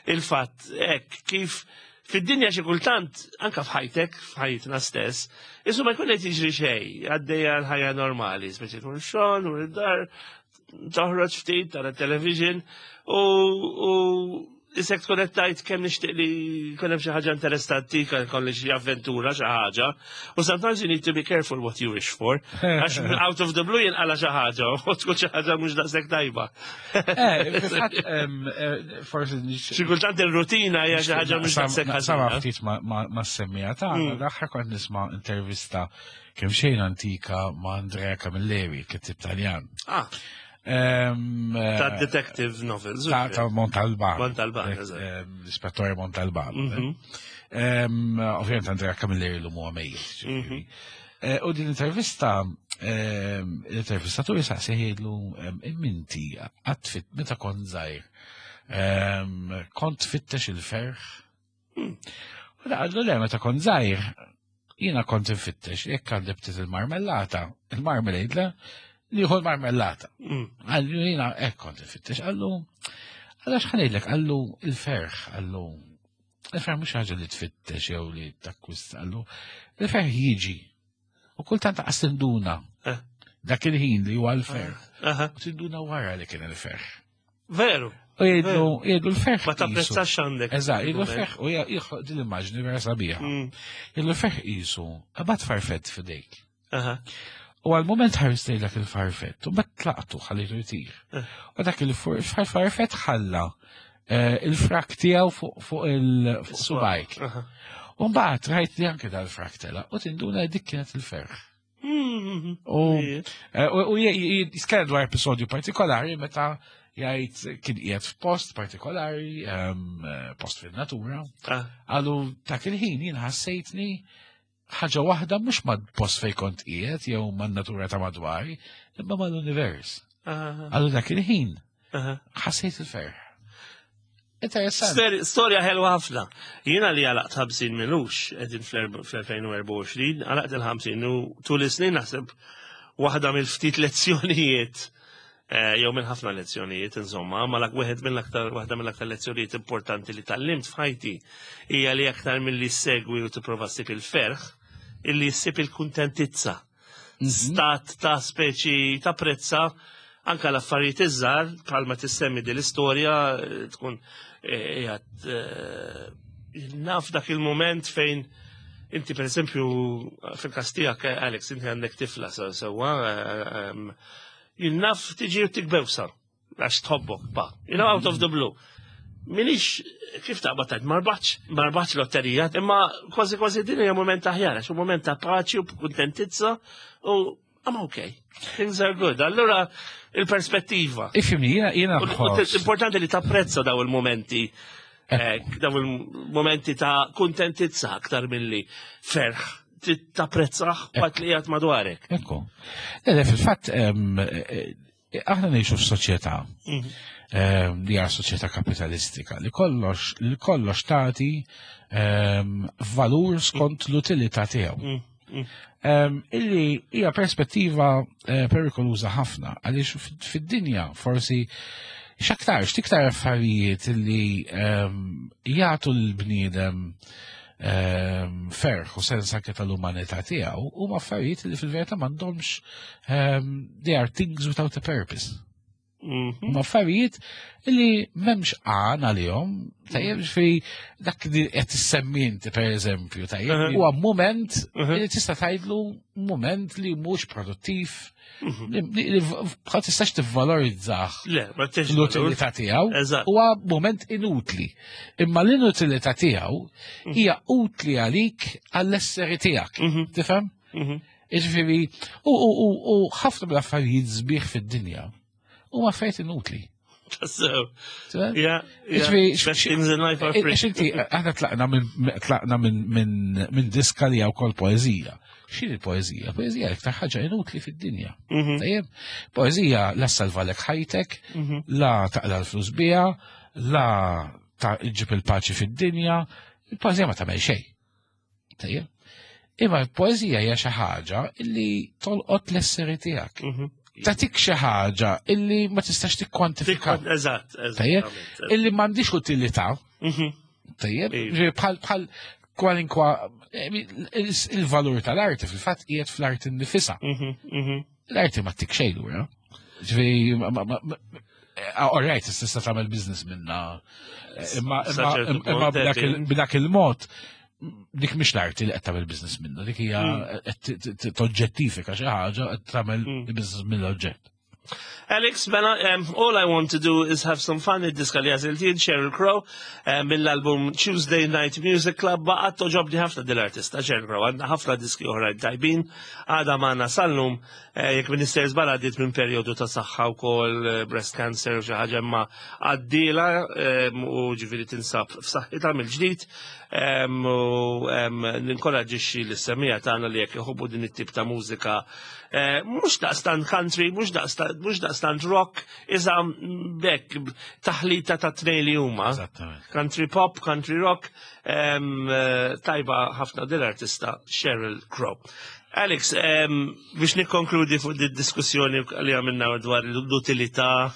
il-fatt hekk kif fid-dinja xi kultant anka f'ħajtek, f'ħajtna stess, isu ma jkun qed jiġri xejn, għaddejja l-ħajja normali, speċi tmur xogħol, u id-dar, toħroġ ftit, tara television, u, u isek tkun qed tgħid kemm nixtieq li jkun hemm xi ħaġa interessanti, kolli xi avventura, xi ħaġa. U sometimes you need to be careful what you wish for. Għax out of the blue jinqala xi ħaġa u tkun xi ħaġa mhux daqshekk tajba.
Eh, fil-fatt, em, eh, forsi nix-
Xi kultant il-rutina hija xi ħaġa mhux daqshekk
Sama
ħażina.
ftit ma- ma ma semmija ta'
Mm.
l-aħħar kont nisma' intervista kemm xejn antika ma' Andrea Camilleri, kittib Taljan.
Ah,
Em, eh,
ta' detective novels.
ta' ta' Montalbano.
Montalbano,
Eh,
eżatt.
em, L-ispettore Montalbano.
Mhm.
Em, Ovvjament Andrea Camilleri l huwa mejjet. Ġifieri.
Mhm.
Eh, U din intervista, em, l-intervistatur jisaqsihielu, imminti, għatfit, meta kont żgħir, em, kont tfittex il-ferħ?
Hmm.
U da qallu le, meta kont żgħir, jiena kont infittex, jekk għandi ftit il-marmellata, il-marmalade, le, nieħu l-marmellata.
Mm.
Qallu jiena hekk kont infittex, qallu, għalax ħa ngħidlek, qallu il-ferħ, qallu, il-ferħ mhux ħaġa li tfittex jew li takkwista, qallu, il-ferħ jiġi. U kultant qas tinduna
Eh.
dak il-ħin li huwa l-ferħ.
Aha.
U tinduna wara li kien il-ferħ.
Veru,
U jgħidlu, jgħidlu l-ferħ.
Ma
qisu.
tapprezzax għandek.
Eżatt, jgħidlu l-ferħ, u jgħidlu din l-immaġni vera sabiħa.
Mm.
Jgħidlu l-ferħ qisu, qabad farfett f'idejk.
Aha.
U għal-moment ħarist dak il-farfett, u bat tlaqtu ħallitu jtir.
Eh.
U dak il-farfett ħalla eh, il-frak tiegħu fuq fuq il-subajk.
Aha.
U mbagħad rajt li anke dal-frak tela, u tinduna dik kienet il-ferħ.
Mm.
U eh, u u jitkellem dwar episodju partikolari meta jgħid kien qiegħed f'post partikolari, em, eh, post fil-natura,
Ah.
qallu dak il-ħin jien ħassejtni ħaġa waħda mhux ma' post fej kont qiegħed jew man-natura ta' madwari, imma mal-univers.
Aha.
Qallu dak il-ħin
Aha.
ħassejt il-ferħ. Interessanti.
Stor- Storja ħelwa ħafna. Jiena li għalaqt ħamsin m'ilux, qegħdin fl-elfejn u erbgħa u għoxrin, għalaqt il-ħamsin u tul is-snin naħseb waħda mill-ftit lezzjonijiet, eh, jew minn ħafna lezzjonijiet, insomma, ma lak wieħed mill-aktar waħda mill-aktar lezzjonijiet importanti li tgħallimt f'ħajti hija li aktar milli segwi u tipprova ssib il-ferħ, illi ssib il-kuntentizza. Stat ta' speċi ta' prezza anka l-affarijiet iż-żgħar, bħalma tissemmi din l-istorja, eh, tkun eh, qiegħed eh, naf dak il-moment fejn inti per eżempju fil-każ tiegħek, eh, Alex, inti għandek tifla sewwa, eh, em, jien naf tiġi u ttik bewsa għax tħobbok pa, you know, out of the blue. Minix, kif taqbad tgħid, ma rbaħtx, ma rbaħtx lotterija, imma kważi kważi din hija moment aħjar, għax moment ta' paċi u kuntentizza u I'm okay. Things are good. Allura il-perspettiva.
Ifhimni, jiena jiena
U- u
nħoss.
Importanti li tapprezza daw il-momenti, eh, daw il-momenti ta' kuntentizza aktar milli ferħ. Tapprezzah waqt li qiegħed madwarek.
Ekku. Le, le, fil-fatt, em, eh, aħna ngħixu f'soċjetà em, li hija soċjetà kapitalistika li kollox li kollox tagħti em, valur skont l-utilità tiegħu.
Mm, mm.
Em, illi hija perspettiva eh, perikoluża ħafna għaliex fid- fid-dinja forsi x'aktarx tiktar affarijiet illi em, jagħtu l-bniedem em, ferħ u sens anke tal-umanità tiegħu huma affarijiet li fil-verità m'għandhomx em, they are things without a purpose.
Mhm.
Ma affarijiet li m'hemmx għan għalihom, tajjeb, fi dak li qed tissemmi inti, per eżempju, tajjeb,
Mhm.
huwa moment
Mhm.
li tista' tgħidlu moment li mhux produttiv,
Mhm.
li li- li bħal tistax tivvalorizzah
Le, ma tix
l-utilità tiegħu,
Eżatt.
huwa moment inutli. Imma l-inutilità tiegħu hija utli għalik għall-esseri tiegħek.
Mhm.
Tifhem?
Mhm.
Jiġifieri, u u- u u ħafna mill-affarijiet sbieħ fid-dinja huma affarijiet inutli.
So,
Tifhem?
yeah, yeah.
Jiġifieri,
Best things in life are free.
Għax inti, aħna tlaqna minn tlaqna minn minn minn diska li wkoll poeżija. X'inhi l-poeżija? Poeżija l-iktar ħaġa inutli fid-dinja.
Mhm.
Tajjeb, poeżija la salvalek ħajtek,
Mhm.
la taqla l-flus biha, la ta' iġib il-paċi fid-dinja, il-poeżija ma tagħmel xejn. Tajjeb. Imma l-poeżija hija xi ħaġa illi tolqot l-esseri tiegħek.
Mhm.
Tatik xi ħaġa illi ma tistax tikkwantifika.
Eżatt, eżatt.
Tajjeb, illi m'għandix utilità,
Mhm.
tajjeb,
Iva.
ġifieri bħal bħal kwalinkwa eh, il- il-valur tal-arti fil-fatt qiegħed fl-arti nnifisha.
Mhm. Mhm.
L-arti ma ttik xejn lura. Ġifieri ma- ma- ma- eh, all right, tista' tagħmel business minna. Eh, Imma
Sa
imma
ċertu
imma
punt,
b'dak il-
eh,
b'dak il-mod dik mhix l-arti li qed tagħmel business minna, dik hija
Mm.
qed t- t- toġġettifika xi ħaġa qed tagħmel
Mm.
business mill-oġġett.
Alex, mela, um, all I want to do is have some fun, id-diska li għażilt jien, Sheryl Crow, um, mill-album Tuesday Night Music Club, baqgħet togħġobni ħafna dil-artista Sheryl Crow, għandha ħafna diski oħra tajbin, għadha magħna sal-lum, eh, jekk minister żball għaddiet minn perjodu ta' saħħa wkoll eh, breast cancer u xi ħaġa, imma għaddiela um, u ġifieri tinsab f'saħħitha mill-ġdid, um, u um, ninkoraġġixxi lis-semmiegħa tagħna li jekk iħobbu din it-tip ta' mużika, eh, mhux daqstant country, mhux daqstant mhux daqstant rock, iżda bekk taħlita ta' tnejn li huma.
Eżattament.
Country pop, country rock, em, eh, tajba ħafna dil-artista Sheryl Crow. Alex, em, biex nikkonkludi fuq di diskussjoni li għamilna dwar l-utilità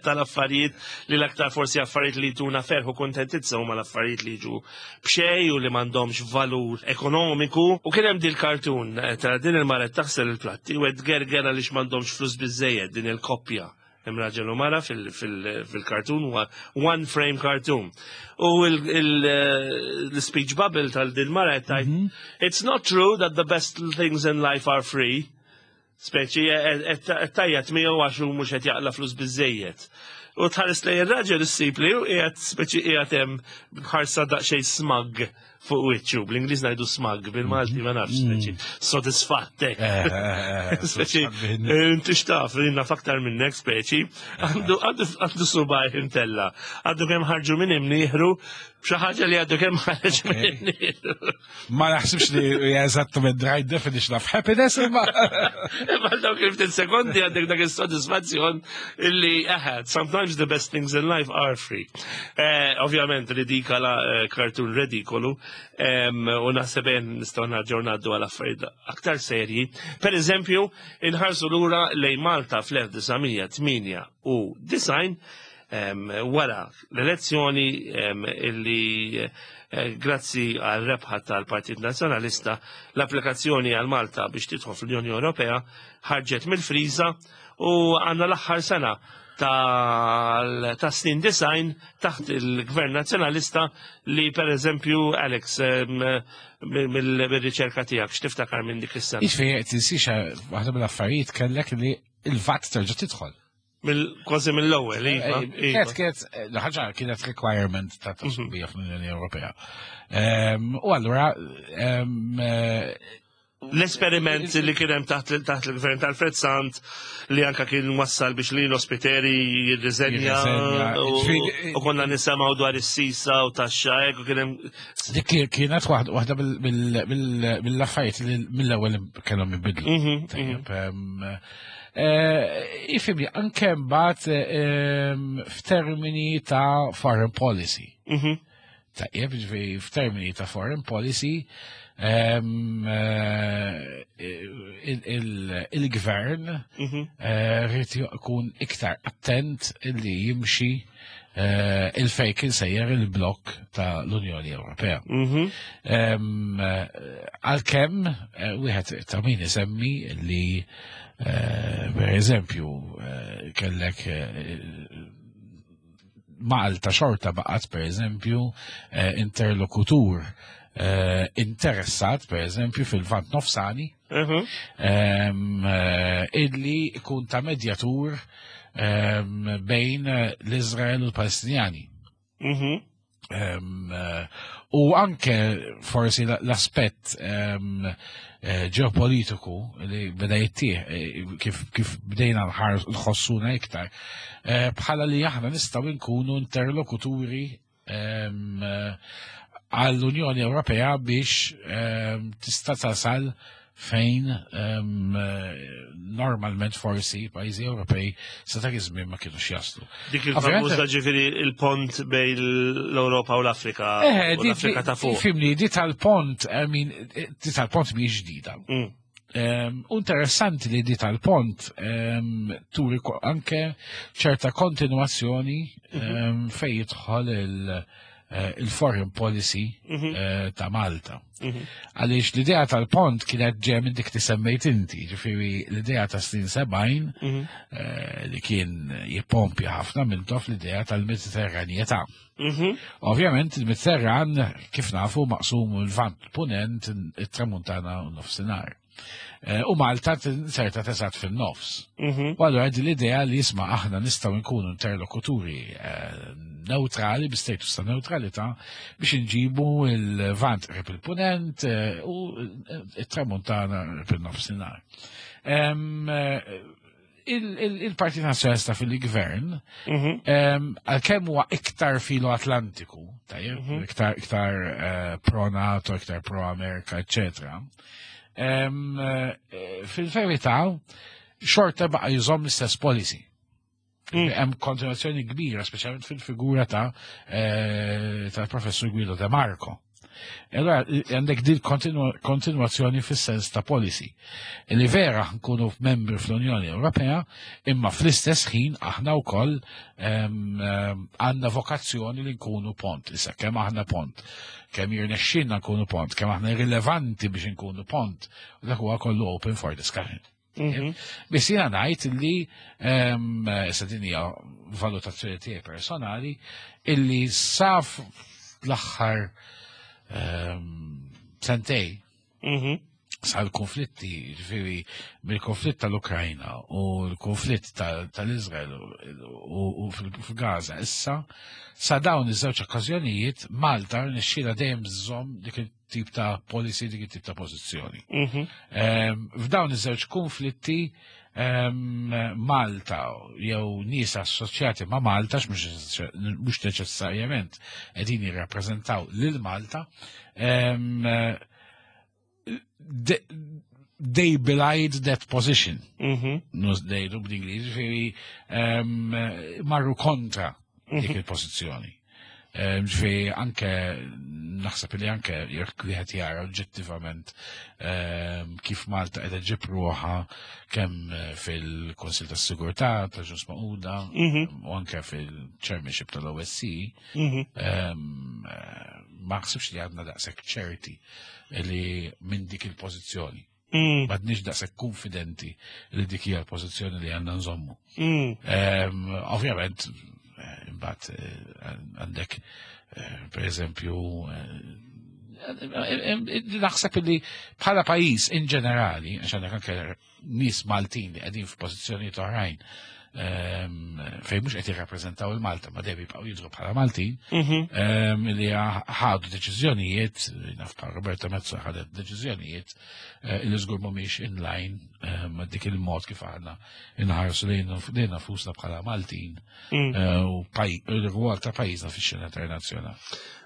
tal-affarijiet, li l-aktar forsi affarijiet li tuna ferħ u kontentizza huma l-affarijiet li jiġu b'xejn u li m'għandhomx valur ekonomiku. U kien hemm dil-kartun eh, ta' din il-mara taħsel il-platti u qed gerger għaliex m'għandhomx flus biżejjed din il-koppja. Hemm raġel u mara fil-kartun, huwa one frame cartoon. U il-speech bubble tal-din mara qed tgħid, "It's not true that the best things in life are free." Speċi qed tgħajjat miegħu għax hu mhux qed jaqla flus biżejjed. U tħares lejn ir-raġel issib li hu qiegħed speċi qiegħed hemm bħarsa daqsxejn smug fuq wiċċu. Bl-Ingliż ngħidu smug, bil-Malti ma nafx, speċi sodisfatt hekk. Speċi, inti x'taf, jiena aktar minnek, speċi, għandu għandu għandu subgħajh imtella'. Għandu kemm ħarġu minn imnieħru, xi ħaġa li għandu kemm ħarġ minn imnieħru.
Ma naħsibx li hija eżattament the right definition of happiness, imma
Imma dawk il-ftit sekondi għandek dak is-sodisfazzjon illi eħe, sometimes the best things in life are free. Eh, Ovvjament ridikola, eh, cartoon redikolu, em, u naħseb nistgħu nerġgħu ngħaddu għal affarijiet aktar serji. Per eżempju, inħarsu lura lejn Malta fl-elf disa' mija tmienja u disgħin em, wara l-elezzjoni em, illi eh, grazzi għal rebħa tal-Partit Nazzjonalista l-applikazzjoni għal Malta biex tidħol fl-Unjoni Ewropea ħarġet mill-friża u għandna l-aħħar sena tal ta' snin disgħin taħt il-Gvern Nazzjonalista li, per eżempju, Alex, em, mill- mill-riċerka tiegħek, x'tiftakar minn dik is-sena?
Jiġifieri tinsiex waħda mill-affarijiet kellek li il-VAT terġa' tidħol.
Mill- Kważi mill-ewwel, iva, iva.
Kienet kienet ħaġa kienet requirement ta' sħubija fl-Unjoni Ewropea. Em, U allura em, eh,
L-esperiment li kien hemm taħt taħt il-gvern tal-Fred Sant li anka kien wassal biex li l-Ospiteri jirriżenja
Jirriżenja.
u
Ġifieri-
u konna nisimgħu dwar is-sisa u taxxa hekk u kien hemm
dik kien- kienet waħda waħda mill- mill- mill- mill-affarijiet li mill-ewwel kellhom jibidlu.
Mhm,
Tajjeb, em, eh, Ifhimni, anke mbagħad em, f'termini ta' foreign policy.
Mhm.
Tajjeb, ġifieri f'termini ta' foreign policy, em, eh, il- il- il-gvern
Mhm.
eh, rrid jkun iktar attent illi jimxi eh, il-fejn kien sejjer il-blok ta' l-Unjoni Ewropea.
Mhm.
Em, eh, Għalkemm, eh, wieħed ta' min isemmi li eh, per eżempju eh, Kellek eh, Malta xorta baqgħet per eżempju eh, interlokutur eh, interessat per eżempju fil-Lvant Nofsani
Mhm.
em, eh, illi ikun ta' medjatur em, bejn eh, l-Izrael u l-Palestinjani.
Mhm.
Em, eh, U anke forsi l- l-aspett em, eh, ġeopolitiku li beda jittieħ eh, kif, kif bdejna nħar- nħossuna iktar, eh, bħala li aħna nistgħu nkunu interlokuturi em, eh, għall-Unjoni Ewropea biex em, tista' tasal fejn em, eh, normalment forsi pajjiżi Ewropej sa dak iż-żmien ma kienux jaslu.
Dik
Ovvjament-
il-famuża ġifieri il-pont bejn l-Ewropa u l-Afrika.
Eh,
u
di-
l-Afrika
di-
ta' fuq.
Fimni, di tal-pont, I mean, di tal-pont mhijiex ġdida.
Mm.
Um, interessanti li di tal-pont um, turi ko- anke ċerta kontinuazzjoni um, fej jidħol il- eh, il-foreign policy
Mhm.
eh, ta' Malta.
Mhm.
Għaliex l-idea tal-pont kienet ġej minn dik li semmejt inti, ġifieri l-idea ta' snin sebgħin
Mhm.
eh, li kien jippompja ħafna minn tof l-idea tal-Mediterranjetà.
Mhm.
Ovvjament il-Mediterran kif nafu maqsum il-Lvant Punent, it-Tramuntana u nofsinhar. Eh, U Malta tinserta tesat fin-nofs.
Mhm.
U allura din l-idea li jisma' aħna nistgħu nkunu interlokuturi eh, neutrali, bi status ta' neutralità, biex nġibu il-Lvant qrib il-Punent eh, u it-Tramuntana qrib il-nofsinhar. Em, eh, il- il- Il-Partit Nazzjonalista fil-Gvern
Mhm.
Em, għalkemm huwa iktar filo-Atlantiku, tajjeb, iktar, iktar eh, pro-NATO, iktar pro-Amerika, eccetera. Em, eh, Fil-verità, xorta baqa jżomm l-istess policy.
Mm.
Hemm kontinuazzjoni kbira, speċjalment fil-figura ta' eh, tal-professur Guido De Marco. E Allora, għandek din kontinu- kontinuazzjoni fis-sens ta' policy. Li vera nkunu membri fl-Unjoni Ewropea, imma fl-istess ħin aħna wkoll em, em, għandna vokazzjoni li nkunu pont. Issa kemm aħna pont, kemm jirnexxinna nkunu pont, kemm aħna rilevanti biex nkunu pont, u dak huwa kollu open for discussion.
Mhm.
Biss jiena ngħid li em, issa din hija valutazzjoni tiegħi personali illi saf l-aħħar em, sentej
Mhm.
sal-konflitti, ġifieri, mill-konflitt tal-Ukrajna u l-konflitt tal- tal-Izrael u u fil-Gaza issa, sa dawn iż-żewġ okkażjonijiet Malta rnexxielha dejjem żżomm dik it-tip ta' policy, dik it-tip ta' pożizzjoni.
Mhm.
Em, F'dawn iż-żewġ konflitti em, Malta jew nies assoċjati ma' Malta, mhux mhux neċessarjament qegħdin jirrappreżentaw lil Malta, em, de- they belied that position.
Mhm.
Nus dejdu bl-Ingliż, ġifieri em, marru kontra dik il-pożizzjoni. Em, Ġifieri anke naħseb li anke jekk wieħed jara oġġettivament em, kif Malta qiegħda ġib ruħha kemm eh, fil-Kunsill tas-Sigurtà ta' Ġnus Magħquda
Mhm.
u anke fil-Chairmanship tal-OSCE,
Mhm.
em, eh, ma naħsibx li għadna daqshekk ċerti li minn dik il-pożizzjoni.
Mm.
M'għadniex daqshekk konfidenti li dik hija l-pożizzjoni li għandna nżommu.
Mm.
Em, Ovvjament, eh, imbagħad eh, għandek eh, per eżempju eh, naħseb li bħala pajjiż in ġenerali, għax għandek anke nies Maltin li qegħdin f'pożizzjonijiet oħrajn em, fejn mhux qed jirrappreżentaw il-Malta, ma dejjem jibqgħu jidhru bħala Maltin,
Mhm.
em, li ħadu deċiżjonijiet, naf bħal Roberta Metsola ħadet deċiżjonijiet eh, li żgur mhumiex in line eh, ma' dik il-mod kif aħna inħarsu lejn lejn nfusna bħala Maltin
Mm.
eh, u paj- il-rwol ta' pajjiżna fix-xena internazzjonali.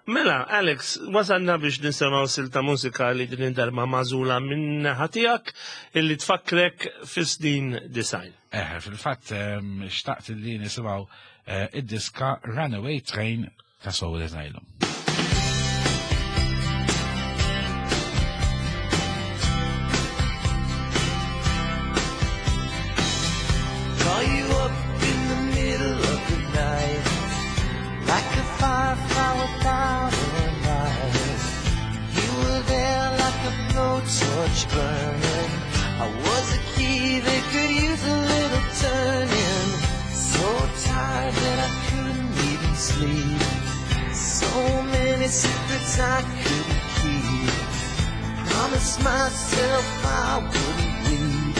Mela, Alex, wasalna biex nisimgħu silta mużika li din id-darba magħżula minn naħa tiegħek illi tfakkrek fis-snin disgħin.
Eh, fil-fatt em, xtaqt li nisimgħu eh, id-diska Runaway Train ta' Soul Asylum.
Call you up in the middle of the night, like a firefly without a light. You were there like a blowtorch burning. I was a key that could use a little turning. Secrets I couldn't keep. Promised myself I wouldn't weep.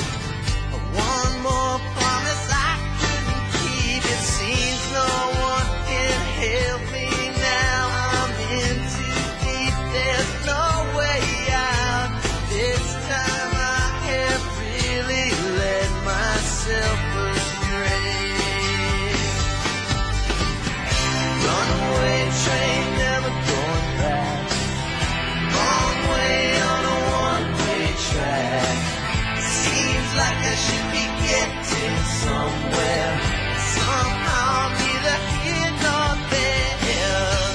One more promise I couldn't keep. It seems no one can help me now. I'm in too deep. There's no way out. This time I have really led myself astray. Runaway train, never going back. Long way on a one-way track. Seems like I should be getting somewhere. Somehow I'm neither here nor there.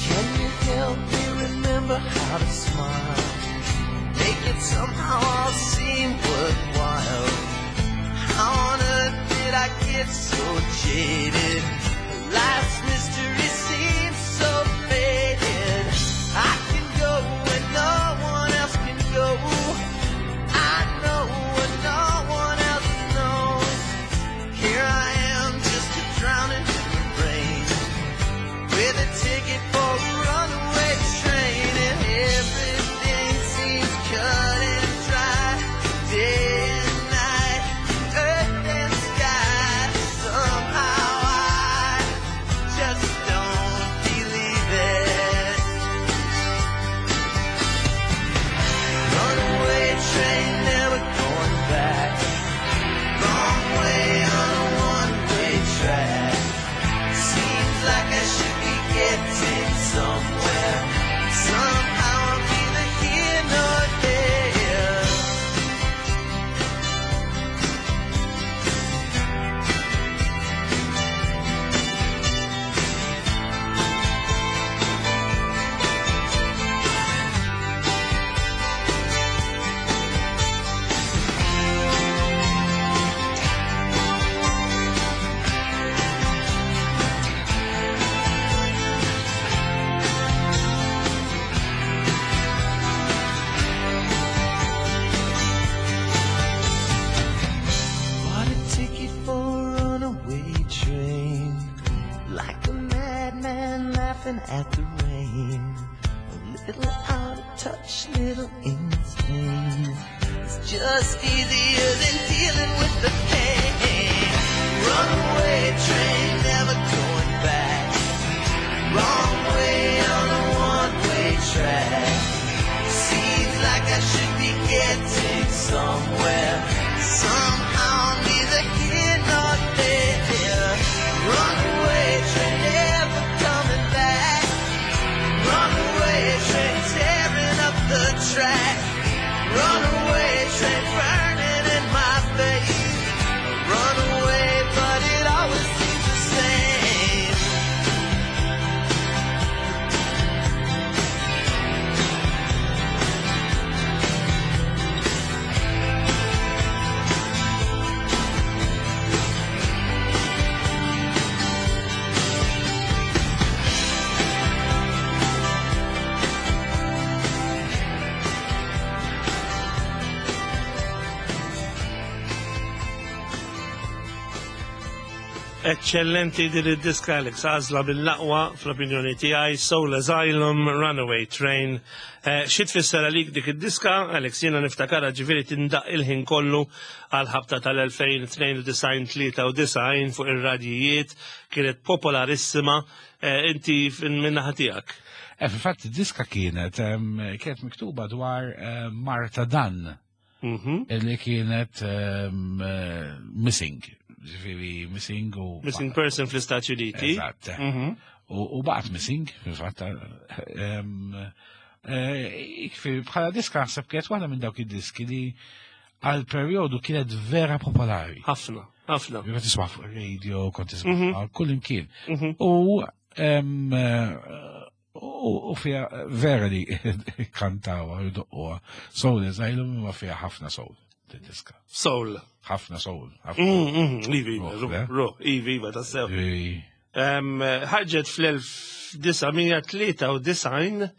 Can you help me remember how to smile? Make it somehow all seem worthwhile. How on earth did I get so jaded? Life's mystery seems so faded. I can go where no one else can go. I know what no one else knows. Here I am, just a drowning in the rain, with a ticket for a runaway train, and everything seems cut and dry. Day and night, earth and sky. Somehow I just don't believe it. Runaway train, never going back. Wrong way on a one-way track. Seems like I should be getting somewhere. Somehow I'm neither here nor there. Bought a ticket for a runaway train. Like a madman laughing at the rain. A little out of touch, little insane. It's just easier than dealing with the pain. Runaway train, never going back. Wrong way on a one-way track. Seems like I should be getting somewhere. Somehow I'm neither here nor there. Runaway train, never coming back. Runaway train, tearing up the track. Runaway train, burning in my face. Runaway, but it always seems the same.
Eccellenti din id-diska Alex, għażla mill-aqwa fl-opinjoni tiegħi, Soul Asylum, Runaway Train. Eh, Xi tfisser għalik dik id-diska, Alex, jiena niftakarha ġifieri tindaq il-ħin kollu għal ħabta tal-elfejn tnejn u disgħin tlieta u disgħin fuq ir-radjijiet, kienet popolarissima, eh, inti min-naħa tiegħek.
Eh, Fil-fatt id-diska kienet em, kienet miktuba dwar eh, Martha Dunn,
Mhm.
li kienet em, eh, missing, ġifieri missing u
Missing person fl-Istati Uniti.
Eżatt.
Mhm.
U u baqgħet missing, fil-fatt. em, eh, Ġifieri bħala diska naħseb kienet waħda minn dawk id-diski li għal perjodu kienet vera popolari.
Ħafna, ħafna.
Kont tisma' fuq radio, kont tisma' kull imkien.
Mhm.
U em, eh, u u fija vera li kantawa u doqquha. Soul Asylum ma fija ħafna soul, diska.
Soul.
Ħafna soul. ħafna.
Mm, mm, Iva, iva,
Ruħ,
ruħ,
le?
ruħ, iva, iva, tassew.
Ġifieri,
Em, Ħarġet fl-elf disa' mija tlieta u disgħin,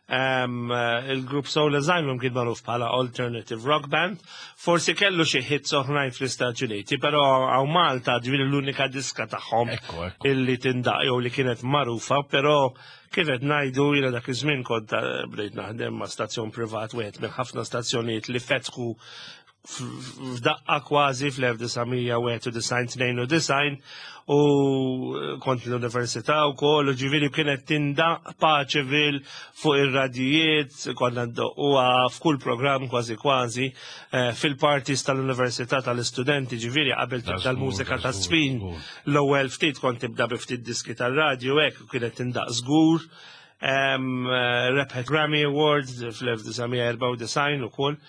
Um, eh, il-grupp Soul Asylum kien magħruf bħala alternative rock band. Forsi kellu xi hits oħrajn fl-Istati Uniti, però hawn Malta ġifieri l-unika diska tagħhom
Ekku, ekku.
illi tindaq jew li kienet magħrufa, però kif qed ngħidu, jiena dak iż-żmien kont eh, bdejt naħdem ma' stazzjon privat, wieħed minn ħafna stazzjonijiet li fetħu f'daqqa kważi fl-elf disa' mija wieħed u disgħin, tnejn u disgħin, u kont l-università u koll, u ġifieri kienet tindaq Paceville fuq ir-radijiet, konna ndoqquha f'kull program kważi kważi, eh, fil-parties tal-università tal-istudenti, ġifieri qabel tibda l-mużika ta' żfin, l-ewwel ftit kont tibda bi ftit diski tal-radju hekk, u kienet tindaq żgur. Um, rebħet Grammy Awards fl-elf disa' mija erbgħa u disgħin u koll.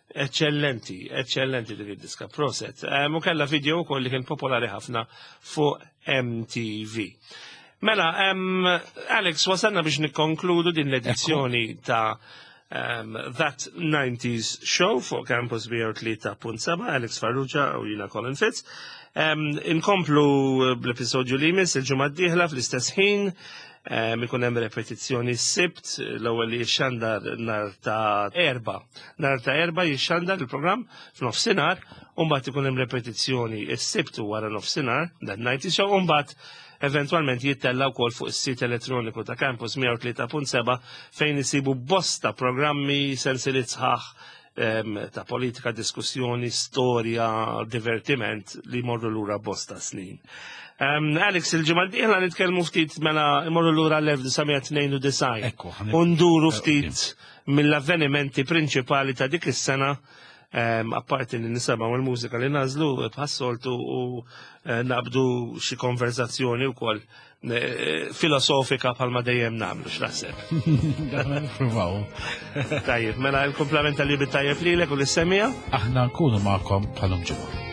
Eccellenti, eccellenti dik id-diska, proset. Um, u kella video wkoll li kien popolari ħafna fuq M T V. Mela, um, Alex, wasalna biex nikkonkludu din l-edizzjoni ta' um, That nineties Show fuq Campus mija u tlieta punt seba', Alex Farrugia u jiena Colin Fitz. Um, inkomplu bl-episodju li jmiss il-ġimgħa d-dieħla fl-istess ħin. Um, ikun hemm repetizzjoni s-Sibt, l-ewwel li jixxandar nhar ta' Erbgħa. Nhar ta' Erbgħa jixxandar il-programm f'nofsinhar, u mbagħad ikun hemm repetizzjoni s-Sibt wara nofsinhar, That ninety Show, u mbagħad eventualment jittella wkoll fuq is-sit elettroniku ta' Campus mija u tlieta punt seba, fejn isibu bosta programmi, sensiliet sħaħ em, ta' politika, diskussjoni, storja, divertiment li morru lura bosta snin. Um, Alex, il-ġimgħa d-dieħla nitkellmu ftit, mela imorru lura l-elf disa' mija tnejn u disgħin.
Ekku, ħan-
U nduru ftit mill-avvenimenti prinċipali ta' dik is-sena, um, apparti li nisimgħu l-mużika li nagħżlu bħas-soltu u eh, naqbdu xi konverzazzjoni wkoll eh, filosofika bħalma dejjem nagħmlu, x'naħseb.
Nippruvaw.
Tajjeb, mela l-kumplament tal-jum it-tajjeb lilek u lis-semmiegħa.
Aħna nkunu magħkom bħal-lum ġimgħa.